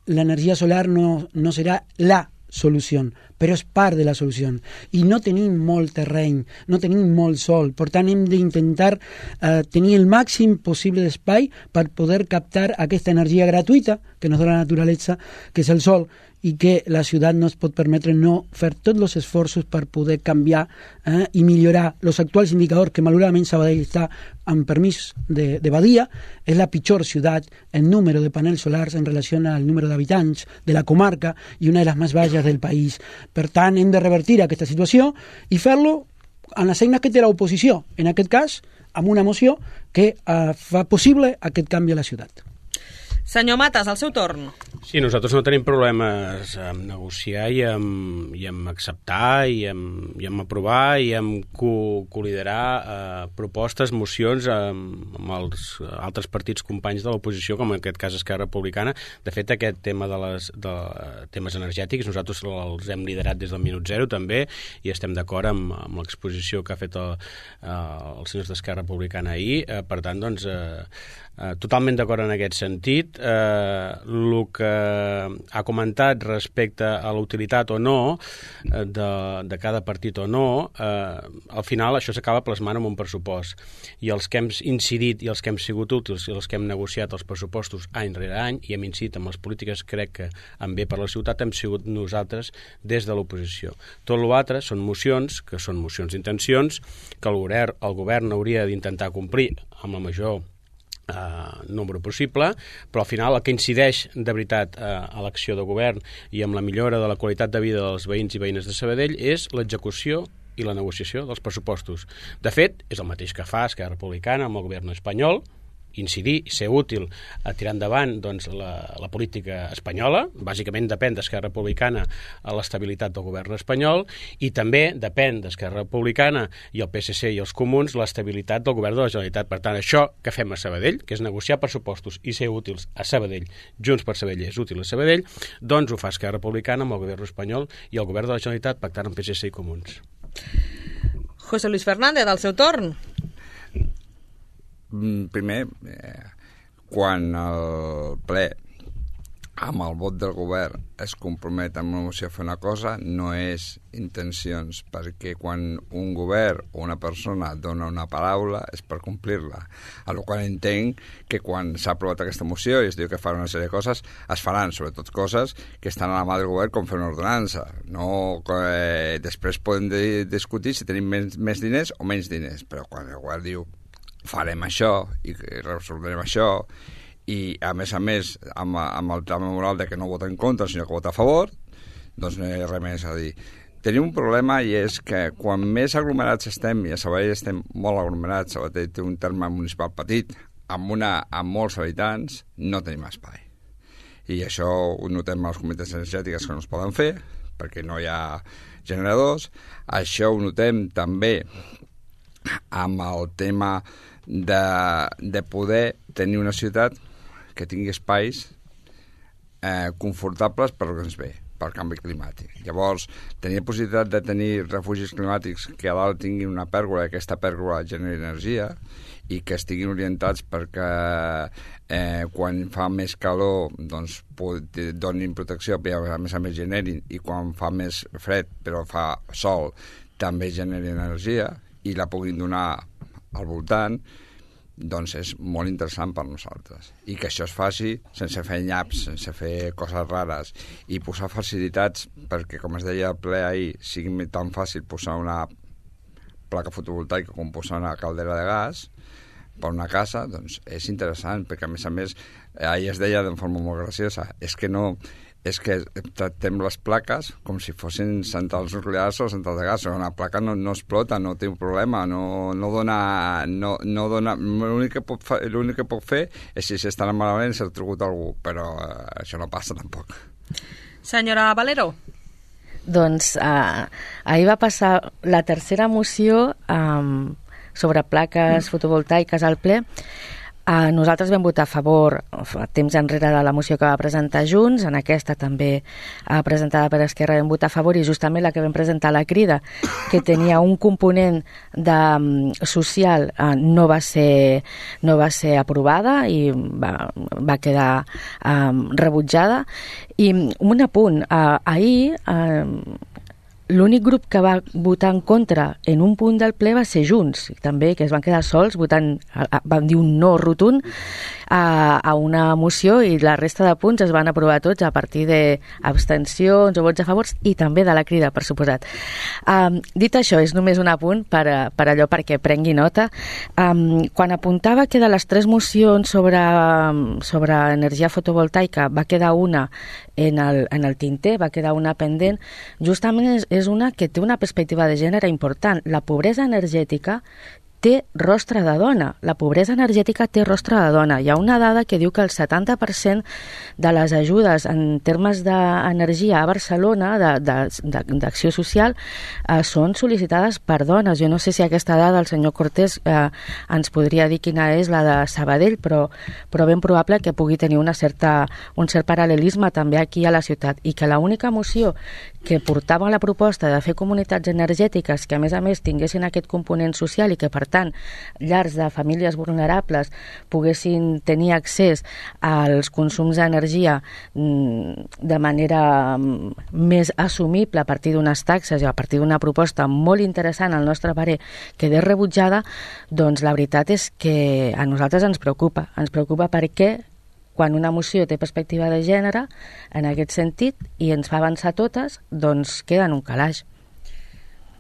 l'energia solar no, no serà la solució, però és part de la solució. I no tenim molt terreny, no tenim molt sol, per tant hem d'intentar eh, tenir el màxim possible d'espai per poder captar aquesta energia gratuïta que ens dona la naturalesa, que és el sol, i que la ciutat no es pot permetre no fer tots els esforços per poder canviar eh, i millorar els actuals indicadors, que malauradament Sabadell està amb permís de, de Badia, és la pitjor ciutat en número de panels solars en relació al número d'habitants de la comarca i una de les més baixes del país. Per tant, hem de revertir aquesta situació i fer-lo en les eines que té l'oposició, en aquest cas, amb una moció que eh, fa possible aquest canvi a la ciutat. Senyor Matas, al seu torn. Sí, nosaltres no tenim problemes en negociar i en, i en acceptar i en, i en aprovar i en co coliderar eh, propostes, mocions amb, amb els altres partits companys de l'oposició, com en aquest cas Esquerra Republicana. De fet, aquest tema de les de temes energètics nosaltres els hem liderat des del minut zero també i estem d'acord amb, amb l'exposició que ha fet el, eh, els senyors d'Esquerra Republicana ahir. Eh, per tant, doncs, eh, eh, totalment d'acord en aquest sentit. Eh, el que ha comentat respecte a la utilitat o no eh, de, de cada partit o no, eh, al final això s'acaba plasmant en un pressupost. I els que hem incidit i els que hem sigut útils i els que hem negociat els pressupostos any rere any i hem incidit amb les polítiques, crec que en bé per la ciutat hem sigut nosaltres des de l'oposició. Tot l'altre són mocions, que són mocions d'intencions, que el govern, el govern hauria d'intentar complir amb la major Uh, nombre possible, però al final el que incideix de veritat uh, a l'acció de govern i amb la millora de la qualitat de vida dels veïns i veïnes de Sabadell és l'execució i la negociació dels pressupostos. De fet, és el mateix que fa Esquerra Republicana amb el govern espanyol, incidir i ser útil a tirar endavant doncs, la, la política espanyola. Bàsicament depèn d'Esquerra Republicana a l'estabilitat del govern espanyol i també depèn d'Esquerra Republicana i el P S C i els comuns l'estabilitat del govern de la Generalitat. Per tant, això que fem a Sabadell, que és negociar pressupostos i ser útils a Sabadell, Junts per Sabadell és útil a Sabadell, doncs ho fa Esquerra Republicana amb el govern espanyol i el govern de la Generalitat pactant amb P S C i comuns. José Luis Fernández, al seu torn. Primer, eh, quan el ple amb el vot del govern es compromet amb una moció a fer una cosa, no és intencions, perquè quan un govern o una persona dona una paraula és per complir-la. A la qual entenc que quan s'ha aprovat aquesta moció i es diu que farà una sèrie de coses, es faran, sobretot coses que estan a la mà del govern com fer una ordenança. No, eh, després podem de discutir si tenim més, més diners o menys diners, però quan el govern diu farem això i resoldrem això i a més a més amb, amb el tema moral de que no vota en contra sinó que vota a favor, doncs no hi ha res més a dir. Tenim un problema i és que quan més aglomerats estem, i a Sabadell estem molt aglomerats, Sabadell té un terme municipal petit amb, una, amb molts habitants, no tenim espai. I això ho notem a les comunitats energètiques que no es poden fer perquè no hi ha generadors. Això ho notem també amb el tema de, de poder tenir una ciutat que tingui espais eh, confortables per al que ens ve, pel canvi climàtic. Llavors, tenir possibilitat de tenir refugis climàtics que a dalt tinguin una pèrgola i aquesta pèrgola generi energia i que estiguin orientats perquè eh, quan fa més calor doncs, donin protecció, però a més a més generin, i quan fa més fred però fa sol també generi energia i la puguin donar al voltant, doncs és molt interessant per nosaltres. I que això es faci sense fer nyaps, sense fer coses rares i posar facilitats perquè, com es deia al ple ahir, sigui tan fàcil posar una placa fotovoltaica com posar una caldera de gas per una casa, doncs és interessant, perquè a més a més ahir es deia de forma molt graciosa, és que no és que tractem les plaques com si fossin centrals nuclears o centrals de gas. Una placa no, no explota, no té un problema, no, no dona... No, no dona l'únic que, pot fa, l'únic que pot fer és si s'estan malament s'ha trucut algú, però eh, això no passa tampoc. Senyora Valero. Doncs eh, ahir va passar la tercera moció eh, sobre plaques fotovoltaiques al ple, Uh, nosaltres vam votar a favor a temps enrere de la moció que va presentar Junts, en aquesta també uh, presentada per Esquerra vam votar a favor, i justament la que vam presentar a la Crida, que tenia un component de, um, social, uh, no, va ser, no va ser aprovada i va, va quedar um, rebutjada. I un apunt, uh, ahir uh, l'únic grup que va votar en contra en un punt del ple va ser Junts, també, que es van quedar sols votant, van dir un no rotund a, a una moció, i la resta de punts es van aprovar tots a partir d'abstencions o vots a favors, i també de la Crida, per suposat. Um, dit això, és només un apunt per, per allò perquè prengui nota. Um, quan apuntava que de les tres mocions sobre, sobre energia fotovoltaica va quedar una en el, en el tinter, va quedar una pendent, justament és, és una que té una perspectiva de gènere important. La pobresa energètica té rostre de dona. La pobresa energètica té rostre de dona. Hi ha una dada que diu que el setanta per cent de les ajudes en termes d'energia a Barcelona, d'acció social, eh, són sol·licitades per dones. Jo no sé si aquesta dada el senyor Cortés eh, ens podria dir quina és la de Sabadell, però, però ben probable que pugui tenir una certa, un cert paral·lelisme també aquí a la ciutat, i que l'única moció que portava la proposta de fer comunitats energètiques que a més a més tinguessin aquest component social i que per tant llars de famílies vulnerables poguessin tenir accés als consums d'energia de manera més assumible a partir d'unes taxes i a partir d'una proposta molt interessant al nostre parer, quedés rebutjada, doncs la veritat és que a nosaltres ens preocupa. Ens preocupa perquè quan una moció té perspectiva de gènere, en aquest sentit, i ens fa avançar totes, doncs queda en un calaix.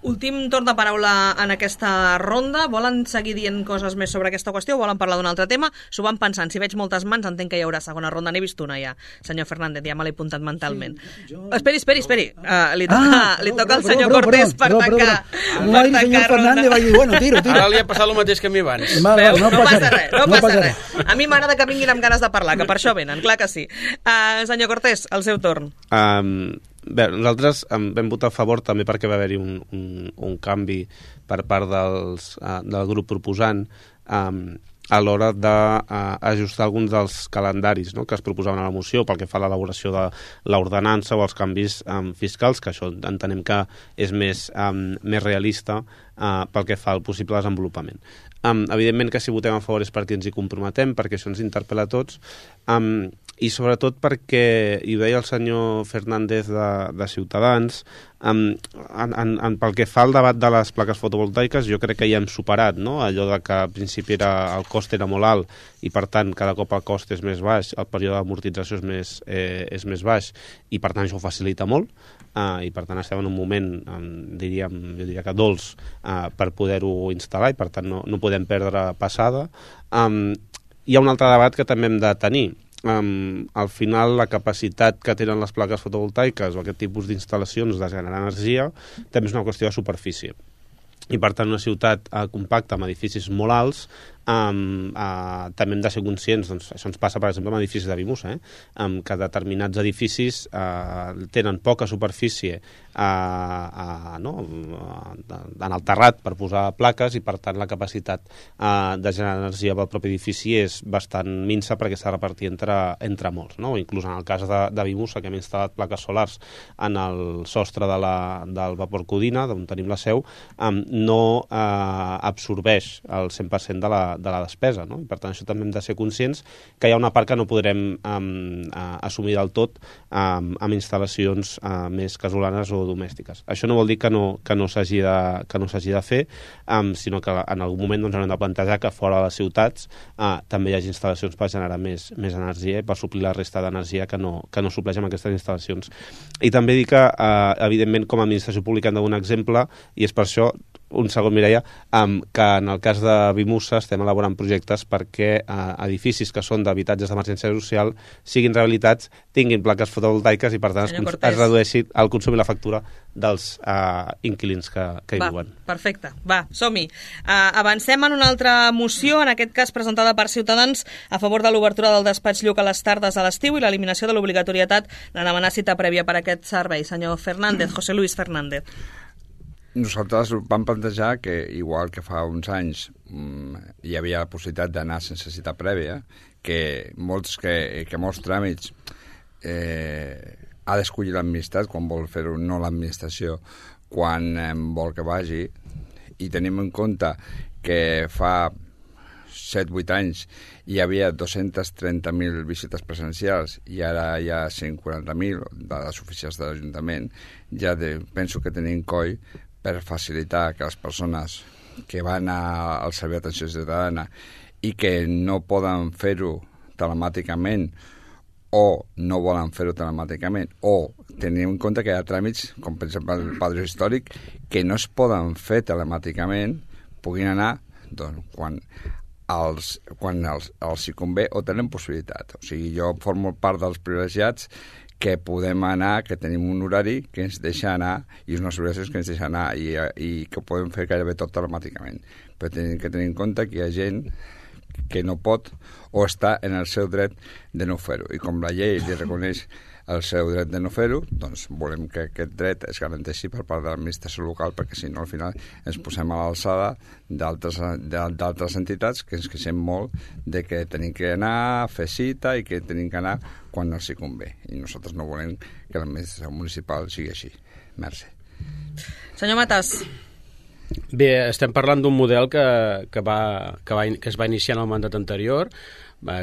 Últim torn de paraula en aquesta ronda. Volen seguir dient coses més sobre aquesta qüestió o volen parlar d'un altre tema? S'ho van pensant. Si veig moltes mans, entenc que hi haurà segona ronda. N'he vist una ja, senyor Fernández, ja me l'he apuntat mentalment. Sí, jo... Esperi, esperi, esperi. Uh, li toca, ah, li toca al senyor però, però, Cortés però, per però, tancar, però, però. Per tancar senyor Fernández va dir, bueno, tiro, tiro. Ara li ha passat el mateix que a mi abans. Va, va, Veus, no, no passa passa res, no, no passa res. A mi m'agrada que vinguin amb ganes de parlar, que per això venen, clar que sí. Uh, senyor Cortés, el seu torn. Um, bé, nosaltres um, vam votar a favor també perquè va haver-hi un, un, un canvi per part dels, uh, del grup proposant um, a l'hora d'ajustar uh, alguns dels calendaris, no?, que es proposaven a la moció pel que fa a l'elaboració de l'ordenança o els canvis um, fiscals, que això entenem que és més, um, més realista uh, pel que fa al possible desenvolupament. Um, evidentment que si votem a favor és perquè ens hi comprometem, perquè això ens interpel·la a tots, um, i sobretot perquè, i ho deia el senyor Fernández de, de Ciutadans, um, en, en, en, pel que fa al debat de les plaques fotovoltaiques, jo crec que ja hem superat, no?, allò de que al principi era, el cost era molt alt i per tant cada cop el cost és més baix, el període d'amortització és, més, eh, és més baix i per tant això ho facilita molt, uh, i per tant estem en un moment, um, diríem, jo diria que dolç uh, per poder-ho instal·lar i per tant no, no podem perdre passada. Um, hi ha un altre debat que també hem de tenir. Um, al final la capacitat que tenen les plaques fotovoltaiques o aquest tipus d'instal·lacions de generar energia també és una qüestió de superfície i per tant una ciutat uh, compacta amb edificis molt alts um, uh, també hem de ser conscients, doncs això ens passa per exemple amb edificis de Vimusa, eh? um, que determinats edificis uh, tenen poca superfície uh, uh, no? uh, en el terrat per posar plaques i per tant la capacitat uh, de generar energia pel propi edifici és bastant minsa perquè s'ha de repartir entre, entre molts, no? Inclús en el cas de, de Vimusa, que hem instal·lat plaques solars en el sostre de la, del Vapor Codina, d'on tenim la seu, um, no uh, absorbeix el cent per cent de la, de la despesa, no? I per tant això també hem de ser conscients que hi ha una part que no podrem um, uh, assumir del tot um, amb instal·lacions uh, més casolanes o domèstiques. Això no vol dir que no, que no s'hagi de, que no s'hagi de fer, um, sinó que en algun moment doncs, haurem de plantejar que fora de les ciutats uh, també hi hagi instal·lacions per generar més, més energia i per suplir la resta d'energia que no, que no supleix amb aquestes instal·lacions. I també dir que, uh, evidentment, com a administració pública hem de donar exemple, i és per això un segon, Mireia, um, que en el cas de Vimusa estem elaborant projectes perquè uh, edificis que són d'habitatges d'emergència social siguin rehabilitats, tinguin plaques fotovoltaiques i per tant es, es redueixi el consum i la factura dels uh, inquilins que, que hi Va, viuen. Perfecte, va, som-hi. Uh, avancem en una altra moció, en aquest cas presentada per Ciutadans, a favor de l'obertura del despatx Lluc a les tardes a l'estiu i l'eliminació de l'obligatorietat de demanar cita prèvia per a aquest servei. Senyor Fernández, José Luis Fernández. nosaltres vam plantejar que, igual que fa uns anys hi havia la possibilitat d'anar sense cita prèvia, que molts, que, que molts tràmits eh, ha d'escollir l'administrat quan vol fer-ho, no l'administració, quan eh, vol que vagi, i tenim en compte que fa set vuit anys hi havia dos-cents trenta mil visites presencials i ara hi ha cent quaranta mil de les oficines de l'Ajuntament, ja de, penso que tenim coll per facilitar que les persones que van a, al Servei d'Atenció Ciutadana i que no poden fer-ho telemàticament o no volen fer-ho telemàticament, o tenim en compte que hi ha tràmits, com per exemple el padró històric, que no es poden fer telemàticament, puguin anar doncs, quan els, quan els, els hi convé o tenen possibilitat. O sigui, jo formo part dels privilegiats que podem anar, que tenim un horari que ens deixa anar i unes obligacions que ens deixa anar i, i que podem fer gairebé tot telemàticament. Però tenim que tenir en compte que hi ha gent que no pot o està en el seu dret de no fer-ho. I com la llei li reconeix el seu dret de no fer-ho, doncs volem que aquest dret es garanteixi per part de l'administració local, perquè si no al final ens posem a l'alçada d'altres entitats que ens queixem molt de que tenim que anar a fer cita i que tenim que anar quan els hi convé. I nosaltres no volem que l'administració municipal sigui així. Merci. Senyor Matas. Bé, estem parlant d'un model que, que, va, que, va, que es va iniciar en el mandat anterior. Va,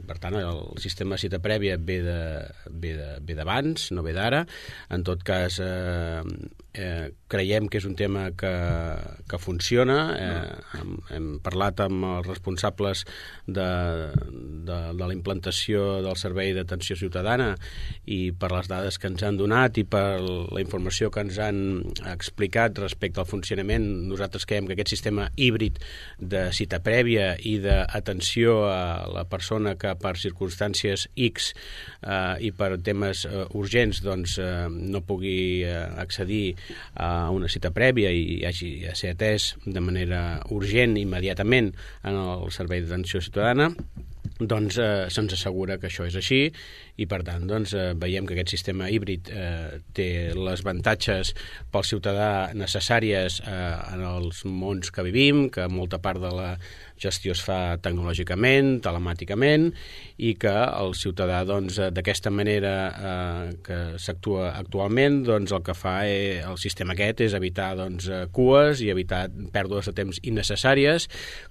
per tant, el sistema de cita prèvia ve de, ve de, ve d'abans, no ve d'ara. En tot cas, eh, eh, creiem que és un tema que, que funciona. Eh, hem, hem parlat amb els responsables de, de, de la implantació del Servei d'Atenció Ciutadana i per les dades que ens han donat i per la informació que ens han explicat respecte al funcionament, nosaltres creiem que aquest sistema híbrid de cita prèvia i d'atenció a la persona que per circumstàncies X eh, i per temes eh, urgents doncs, eh, no pugui eh, accedir a una cita prèvia i hagi de ser atès de manera urgent immediatament en el Servei d'Atenció Ciutadana, doncs eh, se'ns assegura que això és així i per tant doncs, eh, veiem que aquest sistema híbrid eh, té les avantatges pel ciutadà necessàries eh, en els mons que vivim, que molta part de la gestió es fa tecnològicament, telemàticament, i que el ciutadà doncs, d'aquesta manera eh, que s'actua actualment, doncs, el que fa eh, el sistema aquest és evitar doncs, cues i evitar pèrdues de temps innecessàries.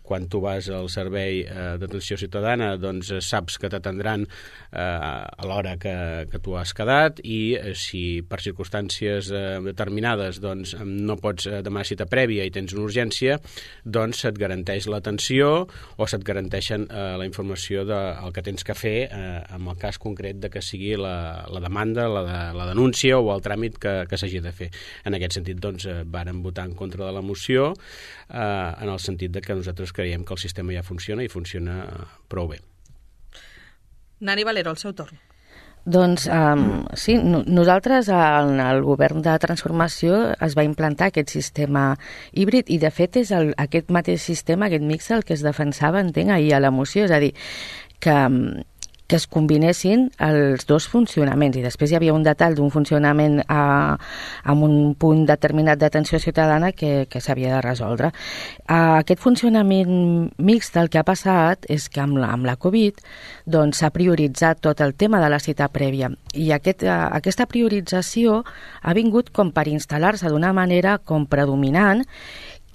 Quan tu vas al Servei eh, d'Atenció Ciutadana doncs, saps que t'atendran eh, a l'hora que, que tu has quedat i eh, si per circumstàncies eh, determinades doncs, no pots demanar cita prèvia i tens una urgència, doncs se't garanteix l'atenció o se't garanteixen eh, la informació del que tens que fer eh, en el cas concret de que sigui la, la demanda, la, de, la denúncia o el tràmit que, que s'hagi de fer. En aquest sentit, doncs, eh, vàrem votar en contra de la moció eh, en el sentit de que nosaltres creiem que el sistema ja funciona i funciona prou bé. Nani Valero, el seu torn. Doncs um, sí, no, nosaltres en el govern de transformació es va implantar aquest sistema híbrid i de fet és el, aquest mateix sistema, aquest mix el que es defensava, entenc, ahir a la moció, és a dir, que, que es combinessin els dos funcionaments i després hi havia un detall d'un funcionament a, amb un punt determinat d'atenció ciutadana que, que s'havia de resoldre. Uh, aquest funcionament mixt el que ha passat és que amb la, amb la Covid doncs, s'ha prioritzat tot el tema de la cita prèvia i aquest, uh, aquesta priorització ha vingut com per instal·lar-se d'una manera com predominant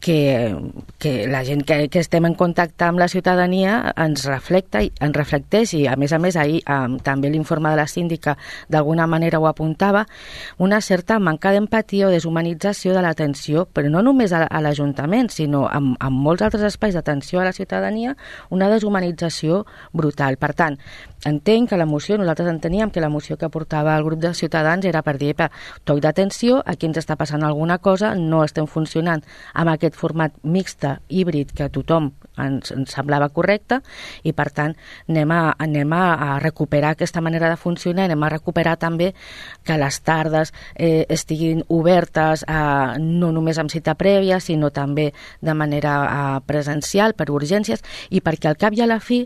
que, que la gent que, que estem en contacte amb la ciutadania ens reflecta i ens reflecteix i a més a més ahir um, també l'informe de la síndica d'alguna manera ho apuntava, una certa manca d'empatia o deshumanització de l'atenció, però no només a, a l'Ajuntament, sinó en, en molts altres espais d'atenció a la ciutadania, una deshumanització brutal. Per tant, entenc que la moció, nosaltres enteníem que la moció que portava el grup de Ciutadans era per dir, toc d'atenció, aquí ens està passant alguna cosa, no estem funcionant amb aquest format mixta, híbrid, que a tothom ens, ens semblava correcte i per tant anem, a, anem a recuperar aquesta manera de funcionar, anem a recuperar també que les tardes eh, estiguin obertes a, no només amb cita prèvia sinó també de manera a, presencial per urgències i perquè al cap i a la fi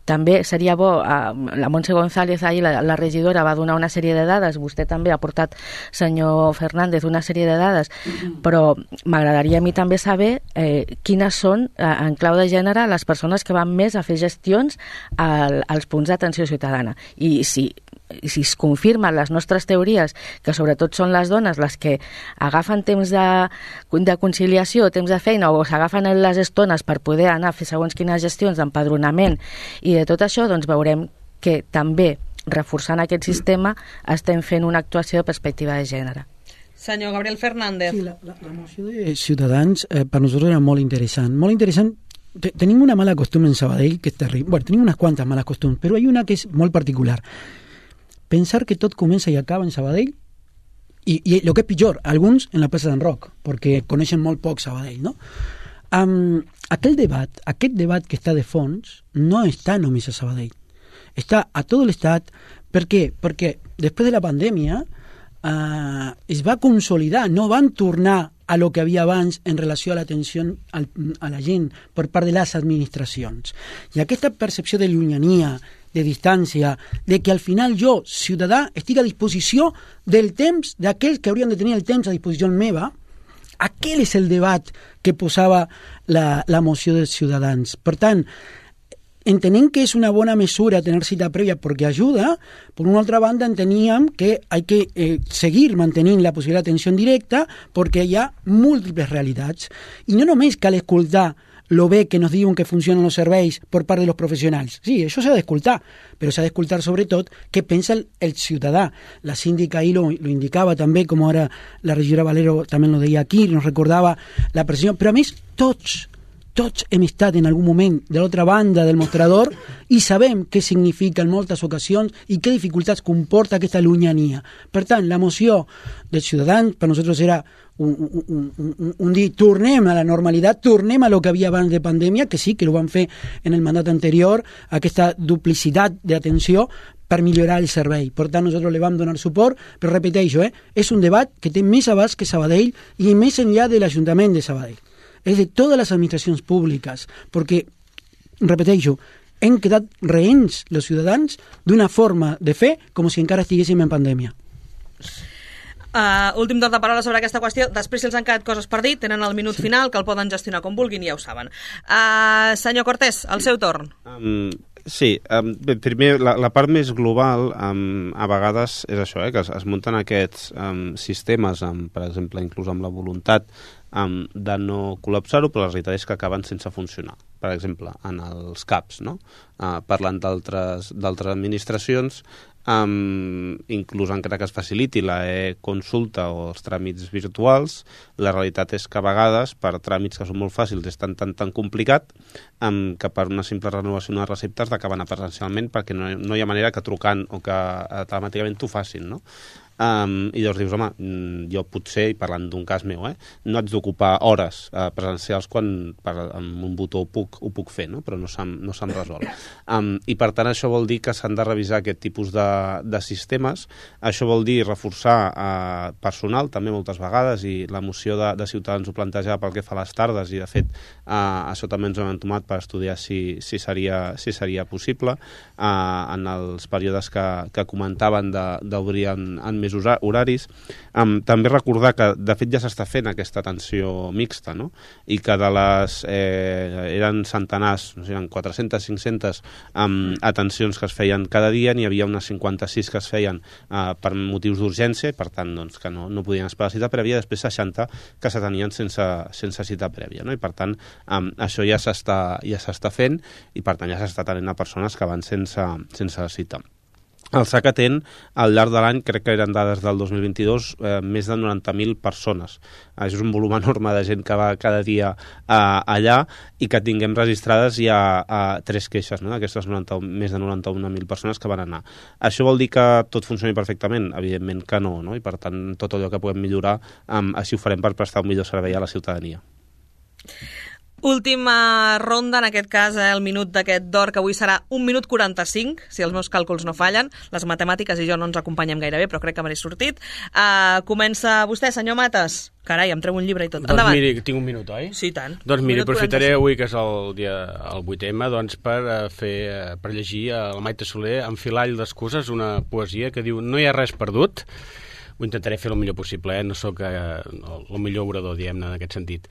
també seria bo, eh, la Montse González ahir, la, la regidora, va donar una sèrie de dades, vostè també ha portat, senyor Fernández, una sèrie de dades, mm-hmm. però m'agradaria a mi també saber eh, quines són, eh, en clau de gènere, les persones que van més a fer gestions al, als punts d'atenció ciutadana. I si i si es confirmen les nostres teories, que sobretot són les dones les que agafen temps de, de conciliació, temps de feina, o s'agafen les estones per poder anar a fer segons quines gestions d'empadronament i de tot això, doncs veurem que també, reforçant aquest sistema, estem fent una actuació de perspectiva de gènere. Senyor Gabriel Fernández. Sí, la, la, la moció de Ciutadans eh, per nosaltres era molt interessant. Molt interessant. Tenim una mala costumbre en Sabadell que és terrible. Bueno, tenim unes quantes males costumbres, però hi ha una que és molt particular. Pensar que tot comença i acaba en Sabadell i, i el que és pitjor, alguns en la plaça d'en Roc, perquè coneixen molt poc Sabadell, no? Um, aquel debat, aquest debat que està de fons no està només a Sabadell, està a tot l'estat. Per què? Perquè després de la pandèmia uh, es va consolidar, no van tornar a lo que havia abans en relació a l'atenció a la gent per part de les administracions. I aquesta percepció de llunyania, de distància, de que al final jo, ciutadà, estic a disposició del temps d'aquells que haurien de tenir el temps a disposició meva, aquell és el debat que posava la, la moció dels Ciutadans. Per tant, entenem que és una bona mesura tenir cita prèvia perquè ajuda, per una altra banda enteníem que hay que eh, seguir mantenint la possibilitat d'atenció directa perquè hi ha múltiples realitats. I no només cal escoltar lo bé que nos diuen que funcionen els serveis per part de los professionals. Sí, això s'ha d'escoltar, però s'ha d'escoltar sobretot què pensa el, el ciutadà. La síndica ahí lo, lo indicava també, com ara la regidora Valero també lo deia aquí, nos recordava la pressió, però a més tots, tots hem estat en algun moment de l'altra banda del mostrador i sabem què significa en moltes ocasions i què dificultats comporta aquesta llunyania. Per tant, la moció dels ciutadans per nosaltres era un, un, un, un dir, tornem a la normalitat, tornem a lo que havia abans de pandèmia, que sí, que ho van fer en el mandat anterior, aquesta duplicitat d'atenció per millorar el servei. Per tant, nosaltres li vam donar suport, però repeteixo, eh, és un debat que té més abast que Sabadell i més enllà de l'Ajuntament de Sabadell. És de totes les administracions públiques, perquè, repeteixo, hem quedat rehens, els ciutadans, d'una forma de fer com si encara estiguéssim en pandèmia. Uh, últim torn de paraula sobre aquesta qüestió. Després, si els han quedat coses per dir, tenen el minut sí. final, que el poden gestionar com vulguin, ja ho saben. Uh, senyor Cortés, el seu torn. Um, sí, um, bé, primer, la, la part més global, um, a vegades és això, eh, que es, es munten aquests um, sistemes, um, per exemple, inclús amb la voluntat um, de no col·lapsar-ho, però la realitat és que acaben sense funcionar. Per exemple, en els CAPs, no? Uh, parlant d'altres administracions, Um, inclús encara que es faciliti la e-consulta o els tràmits virtuals, la realitat és que a vegades per tràmits que són molt fàcils és tan tan tan complicat um, que per una simple renovació de receptes d'acabar presencialment perquè no, no hi ha manera que trucant o que uh, telemàticament t'ho facin, no? Um, i llavors dius, home, jo potser, i parlant d'un cas meu, eh, no haig d'ocupar hores uh, presencials quan per, amb un botó ho puc, ho puc fer, no? Però no se'm, no se'm resol. Um, I per tant això vol dir que s'han de revisar aquest tipus de, de sistemes. Això vol dir reforçar uh, personal també moltes vegades, i la moció de, de Ciutadans ho plantejava pel que fa a les tardes, i de fet uh, això també ens ho hem entomat per estudiar si, si, seria, si seria possible uh, en els períodes que, que comentaven d'obrir en, en més horaris. Um, també recordar que de fet ja s'està fent aquesta atenció mixta, no? I que de les eh, eren centenars, no sé, eren quatre-centes, cinc-centes um, atencions que es feien cada dia, n'hi havia unes cinquanta-sis que es feien uh, per motius d'urgència, per tant doncs, que no, no podien esperar la cita prèvia, després seixanta que s'atenien sense, sense cita prèvia, no? I per tant um, això ja s'està ja s'està fent, i per tant ja s'està atenent a persones que van sense, sense cita. El S A C atén al llarg de l'any, crec que eren dades del dos mil vint-i-dos, eh, més de noranta mil persones. Eh, és un volum enorme de gent que va cada dia eh, allà, i que tinguem registrades ja eh, tres queixes, no? D'aquestes més de noranta-una mil persones que van anar. Això vol dir que tot funcioni perfectament? Evidentment que no, no? I per tant tot allò que puguem millorar, eh, així ho farem per prestar un millor servei a la ciutadania. Última ronda, en aquest cas, eh, el minut d'aquest d'or, que avui serà un minut quaranta-cinc, si els meus càlculs no fallen. Les matemàtiques i jo no ens acompanyem gaire bé, però crec que m'he sortit. Uh, comença vostè, senyor Matas. Carai, em treu un llibre i tot. Doncs Endavant. miri, tinc un minut, oi? Sí, tant. Doncs miri, Minut aprofitaré quaranta-cinc. avui, que és el dia el vuit eme, doncs per eh, fer, eh, per llegir a la Maite Soler, Enfilall d'excuses, una poesia que diu: no hi ha res perdut. Ho intentaré fer el millor possible, eh? No sóc eh, el millor orador, diguem-ne, en aquest sentit.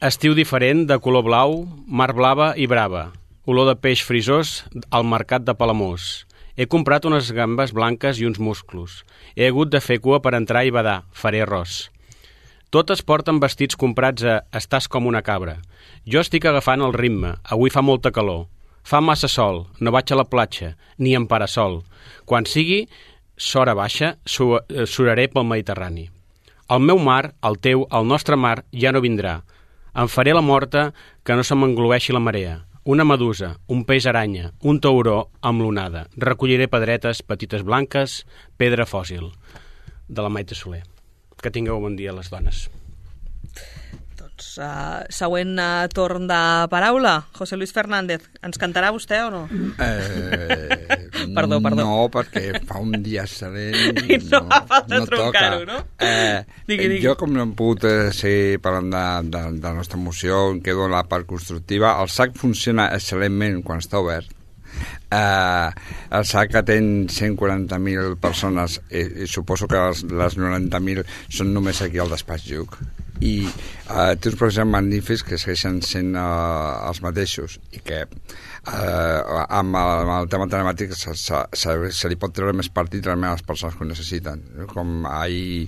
Estiu diferent, de color blau, mar blava i brava. Olor de peix frisós al mercat de Palamós. He comprat unes gambes blanques i uns musclos. He hagut de fer cua per entrar i badar. Faré arròs. Totes porten vestits comprats a Estàs com una cabra. Jo estic agafant el ritme. Avui fa molta calor. Fa massa sol. No vaig a la platja, ni en parasol. Quan sigui s'hora baixa, suraré pel Mediterrani. El meu mar, el teu, el nostre mar, ja no vindrà. Em faré la morta que no se m'engloeixi la marea. Una medusa, un peix aranya, un tauró amb l'onada. Recolliré pedretes petites blanques, pedra fòssil. De la Maite Soler. Que tingueu bon dia, les dones. Doncs uh, següent uh, torn de paraula. José Luis Fernández, ens cantarà vostè o no? Eh, perdó, perdó. No, perquè fa un dia excel·lent. I no, no fa falta no troncar-ho, no? Eh, digui, digui. Jo, com no hem pogut eh, seguir parlant de, de, de la nostra moció, em quedo en la part constructiva. El S A C funciona excel·lentment quan està obert. Uh, el S A C atén cent quaranta mil persones i, i suposo que les, les noranta mil són només aquí al despatx Lluc, i uh, té uns professors magnífics que segueixen sent uh, els mateixos, i que uh, amb, el, amb el tema telemàtic se, se, se, se li pot treure més partit realment a les persones que ho necessiten. Com ahir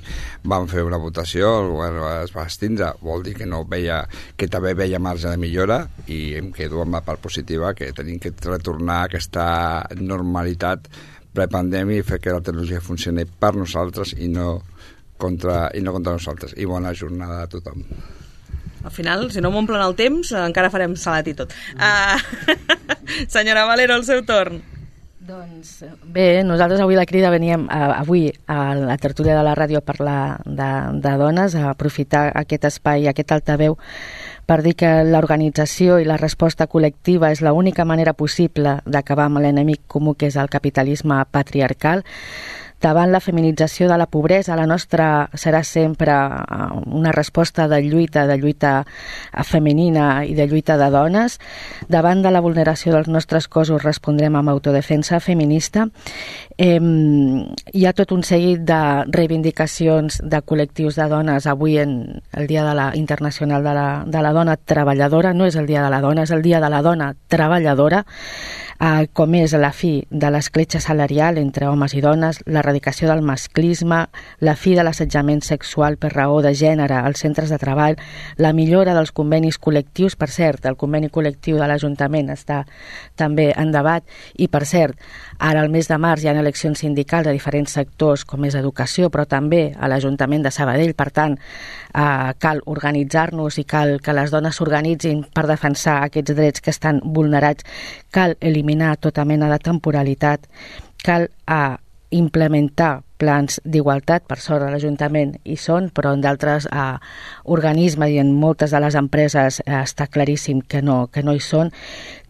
vam fer una votació, el govern es va extindre, vol dir que no veia, que també veia marge de millora, i em quedo amb la part positiva, que tenim que retornar a aquesta normalitat prepandèmia i fer que la tecnologia funcioni per nosaltres i no contra, i no contra nosaltres. I bona jornada a tothom. Al final, si no m'omplen el temps, encara farem salat i tot. Uh, senyora Valero, el seu torn. Doncs bé, nosaltres avui la Crida veníem a, avui a la tertúlia de la ràdio a parlar de, de dones, a aprofitar aquest espai, aquest altaveu, per dir que l'organització i la resposta col·lectiva és l'única manera possible d'acabar amb l'enemic comú que és el capitalisme patriarcal. Davant la feminització de la pobresa, la nostra serà sempre una resposta de lluita, de lluita femenina i de lluita de dones. Davant de la vulneració dels nostres cossos respondrem amb autodefensa feminista. Eh, hi ha tot un seguit de reivindicacions de col·lectius de dones avui en el Dia de la Internacional de la, de la Dona Treballadora. No és el Dia de la Dona, és el Dia de la Dona Treballadora. Uh, com és la fi de l'escletxa salarial entre homes i dones, l'erradicació del masclisme, la fi de l'assetjament sexual per raó de gènere als centres de treball, la millora dels convenis col·lectius. Per cert, el conveni col·lectiu de l'Ajuntament està també en debat i, per cert, ara al mes de març hi ha eleccions sindicals a diferents sectors com és educació, però també a l'Ajuntament de Sabadell. Per tant, uh, cal organitzar-nos i cal que les dones s'organitzin per defensar aquests drets que estan vulnerats. Cal eliminar tota mena de temporalitat, cal a implementar plans d'igualtat. Per sort a l'Ajuntament hi són, però en d'altres eh, organismes i en moltes de les empreses eh, està claríssim que no, que no hi són.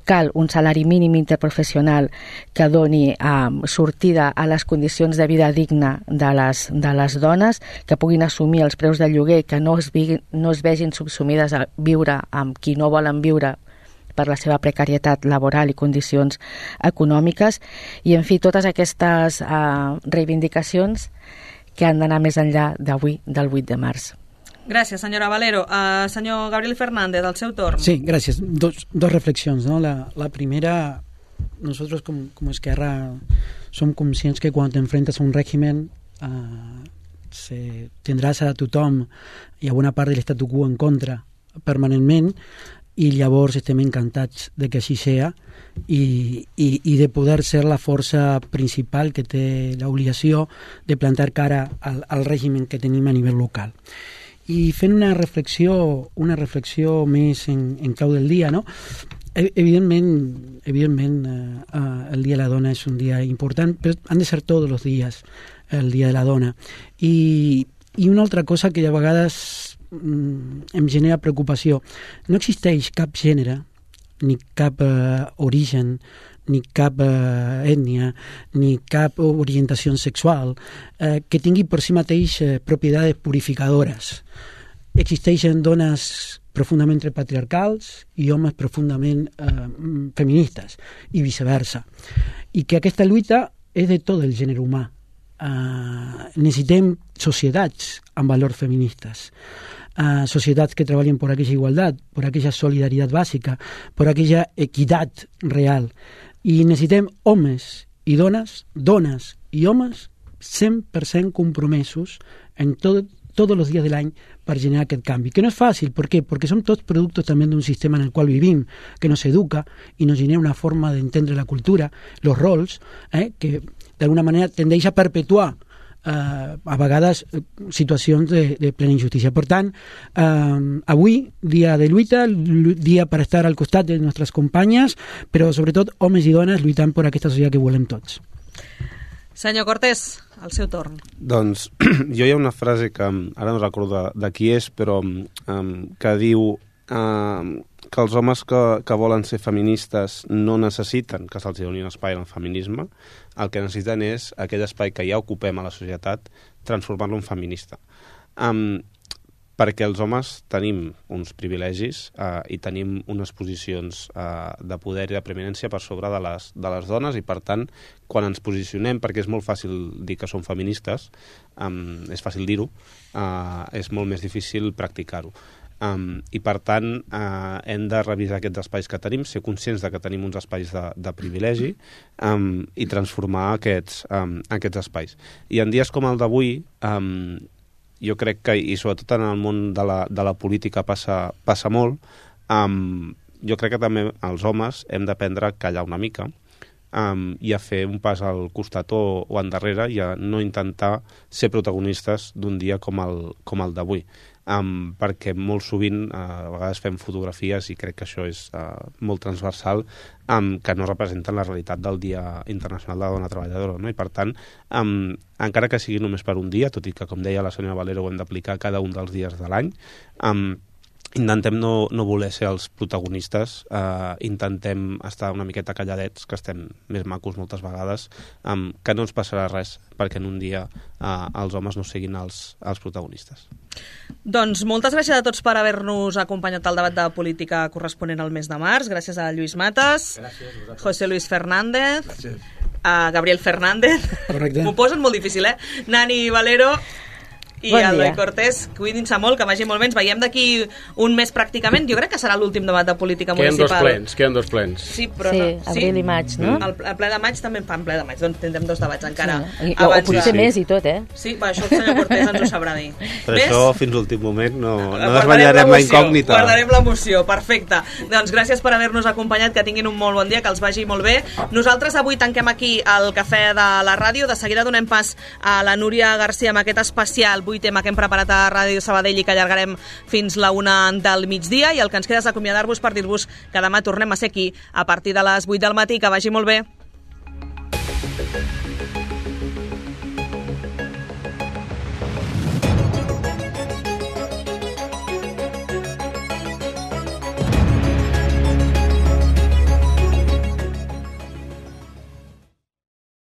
Cal un salari mínim interprofessional que doni eh, sortida a les condicions de vida digna de les, de les dones, que puguin assumir els preus del lloguer, que no es, vi, no es vegin subsumides a viure amb qui no volen viure per la seva precarietat laboral i condicions econòmiques, i en fi, totes aquestes uh, reivindicacions que han d'anar més enllà d'avui, del vuit de març. Gràcies, senyora Valero. Uh, senyor Gabriel Fernández, al seu torn. Sí, gràcies. Dos, dos reflexions, ¿no? La, la primera, nosotros como, como Esquerra som conscients que quan t'enfrentes a un régimen uh, se, tindràs a tothom i a bona part de l'estatu quo en contra permanentment, i llavors estem encantats de que així sea i, i, i de poder ser la força principal que té l'obligació de plantar cara al, al règim que tenim a nivell local. I fent una reflexió, una reflexió més en, en clau del dia, no? Evidentment, evidentment eh, eh, el Dia de la Dona és un dia important, però han de ser tots els dies el Dia de la Dona. I, i una altra cosa que a vegades em genera preocupació. No existeix cap gènere, ni cap eh, origen, ni cap eh, ètnia, ni cap orientació sexual eh, que tingui per si mateix eh, propietats purificadores. existeixen dones profundament patriarcals i homes profundament eh, feministes, i viceversa. I que aquesta lluita és de tot el gènere humà. Uh, necessitem societats amb valors feministes, uh, societats que treballen per aquella igualtat, per aquella solidaritat bàsica, per aquella equitat real. I necessitem homes i dones, dones i homes cent per cent compromesos en tot, tots els dies de l'any per generar aquest canvi, que no és fàcil. ¿Por qué? Porque son todos productos también de un sistema en el cual vivim, que nos educa y nos genera una forma de entendre la cultura, los rols, eh, que d'alguna manera tendeix a perpetuar eh, a vegades situacions de, de plena injustícia. Per tant, eh, avui, dia de lluita, dia per estar al costat de les nostres companyes, però sobretot homes i dones lluitant per aquesta societat que volem tots. Senyor Cortés, el seu torn. Doncs jo hi ha una frase que ara no recordo de, de qui és, però um, que diu uh, que els homes que, que volen ser feministes no necessiten que se'ls doni un espai en el feminisme, el que necessiten és aquell espai que ja ocupem a la societat, transformar-lo en feminista. Um, perquè els homes tenim uns privilegis eh, i tenim unes posicions eh, de poder i de preeminència per sobre de les, de les dones, i per tant, quan ens posicionem, perquè és molt fàcil dir que som feministes, um, és fàcil dir-ho, uh, és molt més difícil practicar-ho. Um, I per tant uh, hem de revisar aquests espais que tenim, ser conscients de que tenim uns espais de, de privilegi um, i transformar aquests, um, aquests espais. I en dies com el d'avui, um, jo crec que, i sobretot en el món de la, de la política passa, passa molt, um, jo crec que també els homes hem d'aprendre a callar una mica um, i a fer un pas al costat o, o endarrere, i a no intentar ser protagonistes d'un dia com el, com el d'avui. Um, perquè molt sovint uh, a vegades fem fotografies, i crec que això és uh, molt transversal, um, que no representen la realitat del Dia Internacional de la Dona Treballadora, no? I per tant, um, encara que sigui només per un dia, tot i que, com deia la senyora Valero, ho hem d'aplicar cada un dels dies de l'any, um, intentem no, no voler ser els protagonistes, eh, intentem estar una miqueta calladets, que estem més macos moltes vegades, um, que no ens passarà res perquè en un dia eh, els homes no siguin els, els protagonistes. Doncs moltes gràcies a tots per haver-nos acompanyat al debat de política corresponent al mes de març. Gràcies a Lluís Matas, gràcies, José Luis Fernández, gràcies. A Gabriel Fernández. Correcte. M'ho posen molt difícil, eh? Nani Valero i bon el Eloi Cortés. Cuidin-se molt, que vagi molt bé. Ens veiem d'aquí un mes pràcticament. Jo crec que serà l'últim debat de política queden municipal. Dos plens, queden dos plens. Sí, però sí, no. abril sí? i maig, no? El, el ple de maig també en fan ple de maig, doncs tindrem dos debats encara. Sí. O, o potser sí. més i tot, eh? Sí, va, això el senyor Cortés ens ho sabrà dir. Per Ves? això, fins l'últim moment, no, no desvetllarem la incògnita. Guardarem l'emoció, perfecte. Doncs gràcies per haver-nos acompanyat, que tinguin un molt bon dia, que els vagi molt bé. Nosaltres avui tanquem aquí el cafè de la ràdio. De seguida donem pas a la Núria Garcia amb aquest especial vuit tema que hem preparat a Ràdio Sabadell i que allargarem fins la una del migdia, i el que ens queda és acomiadar-vos per dir-vos que demà tornem a ser aquí a partir de les vuit del matí. Que vagi molt bé.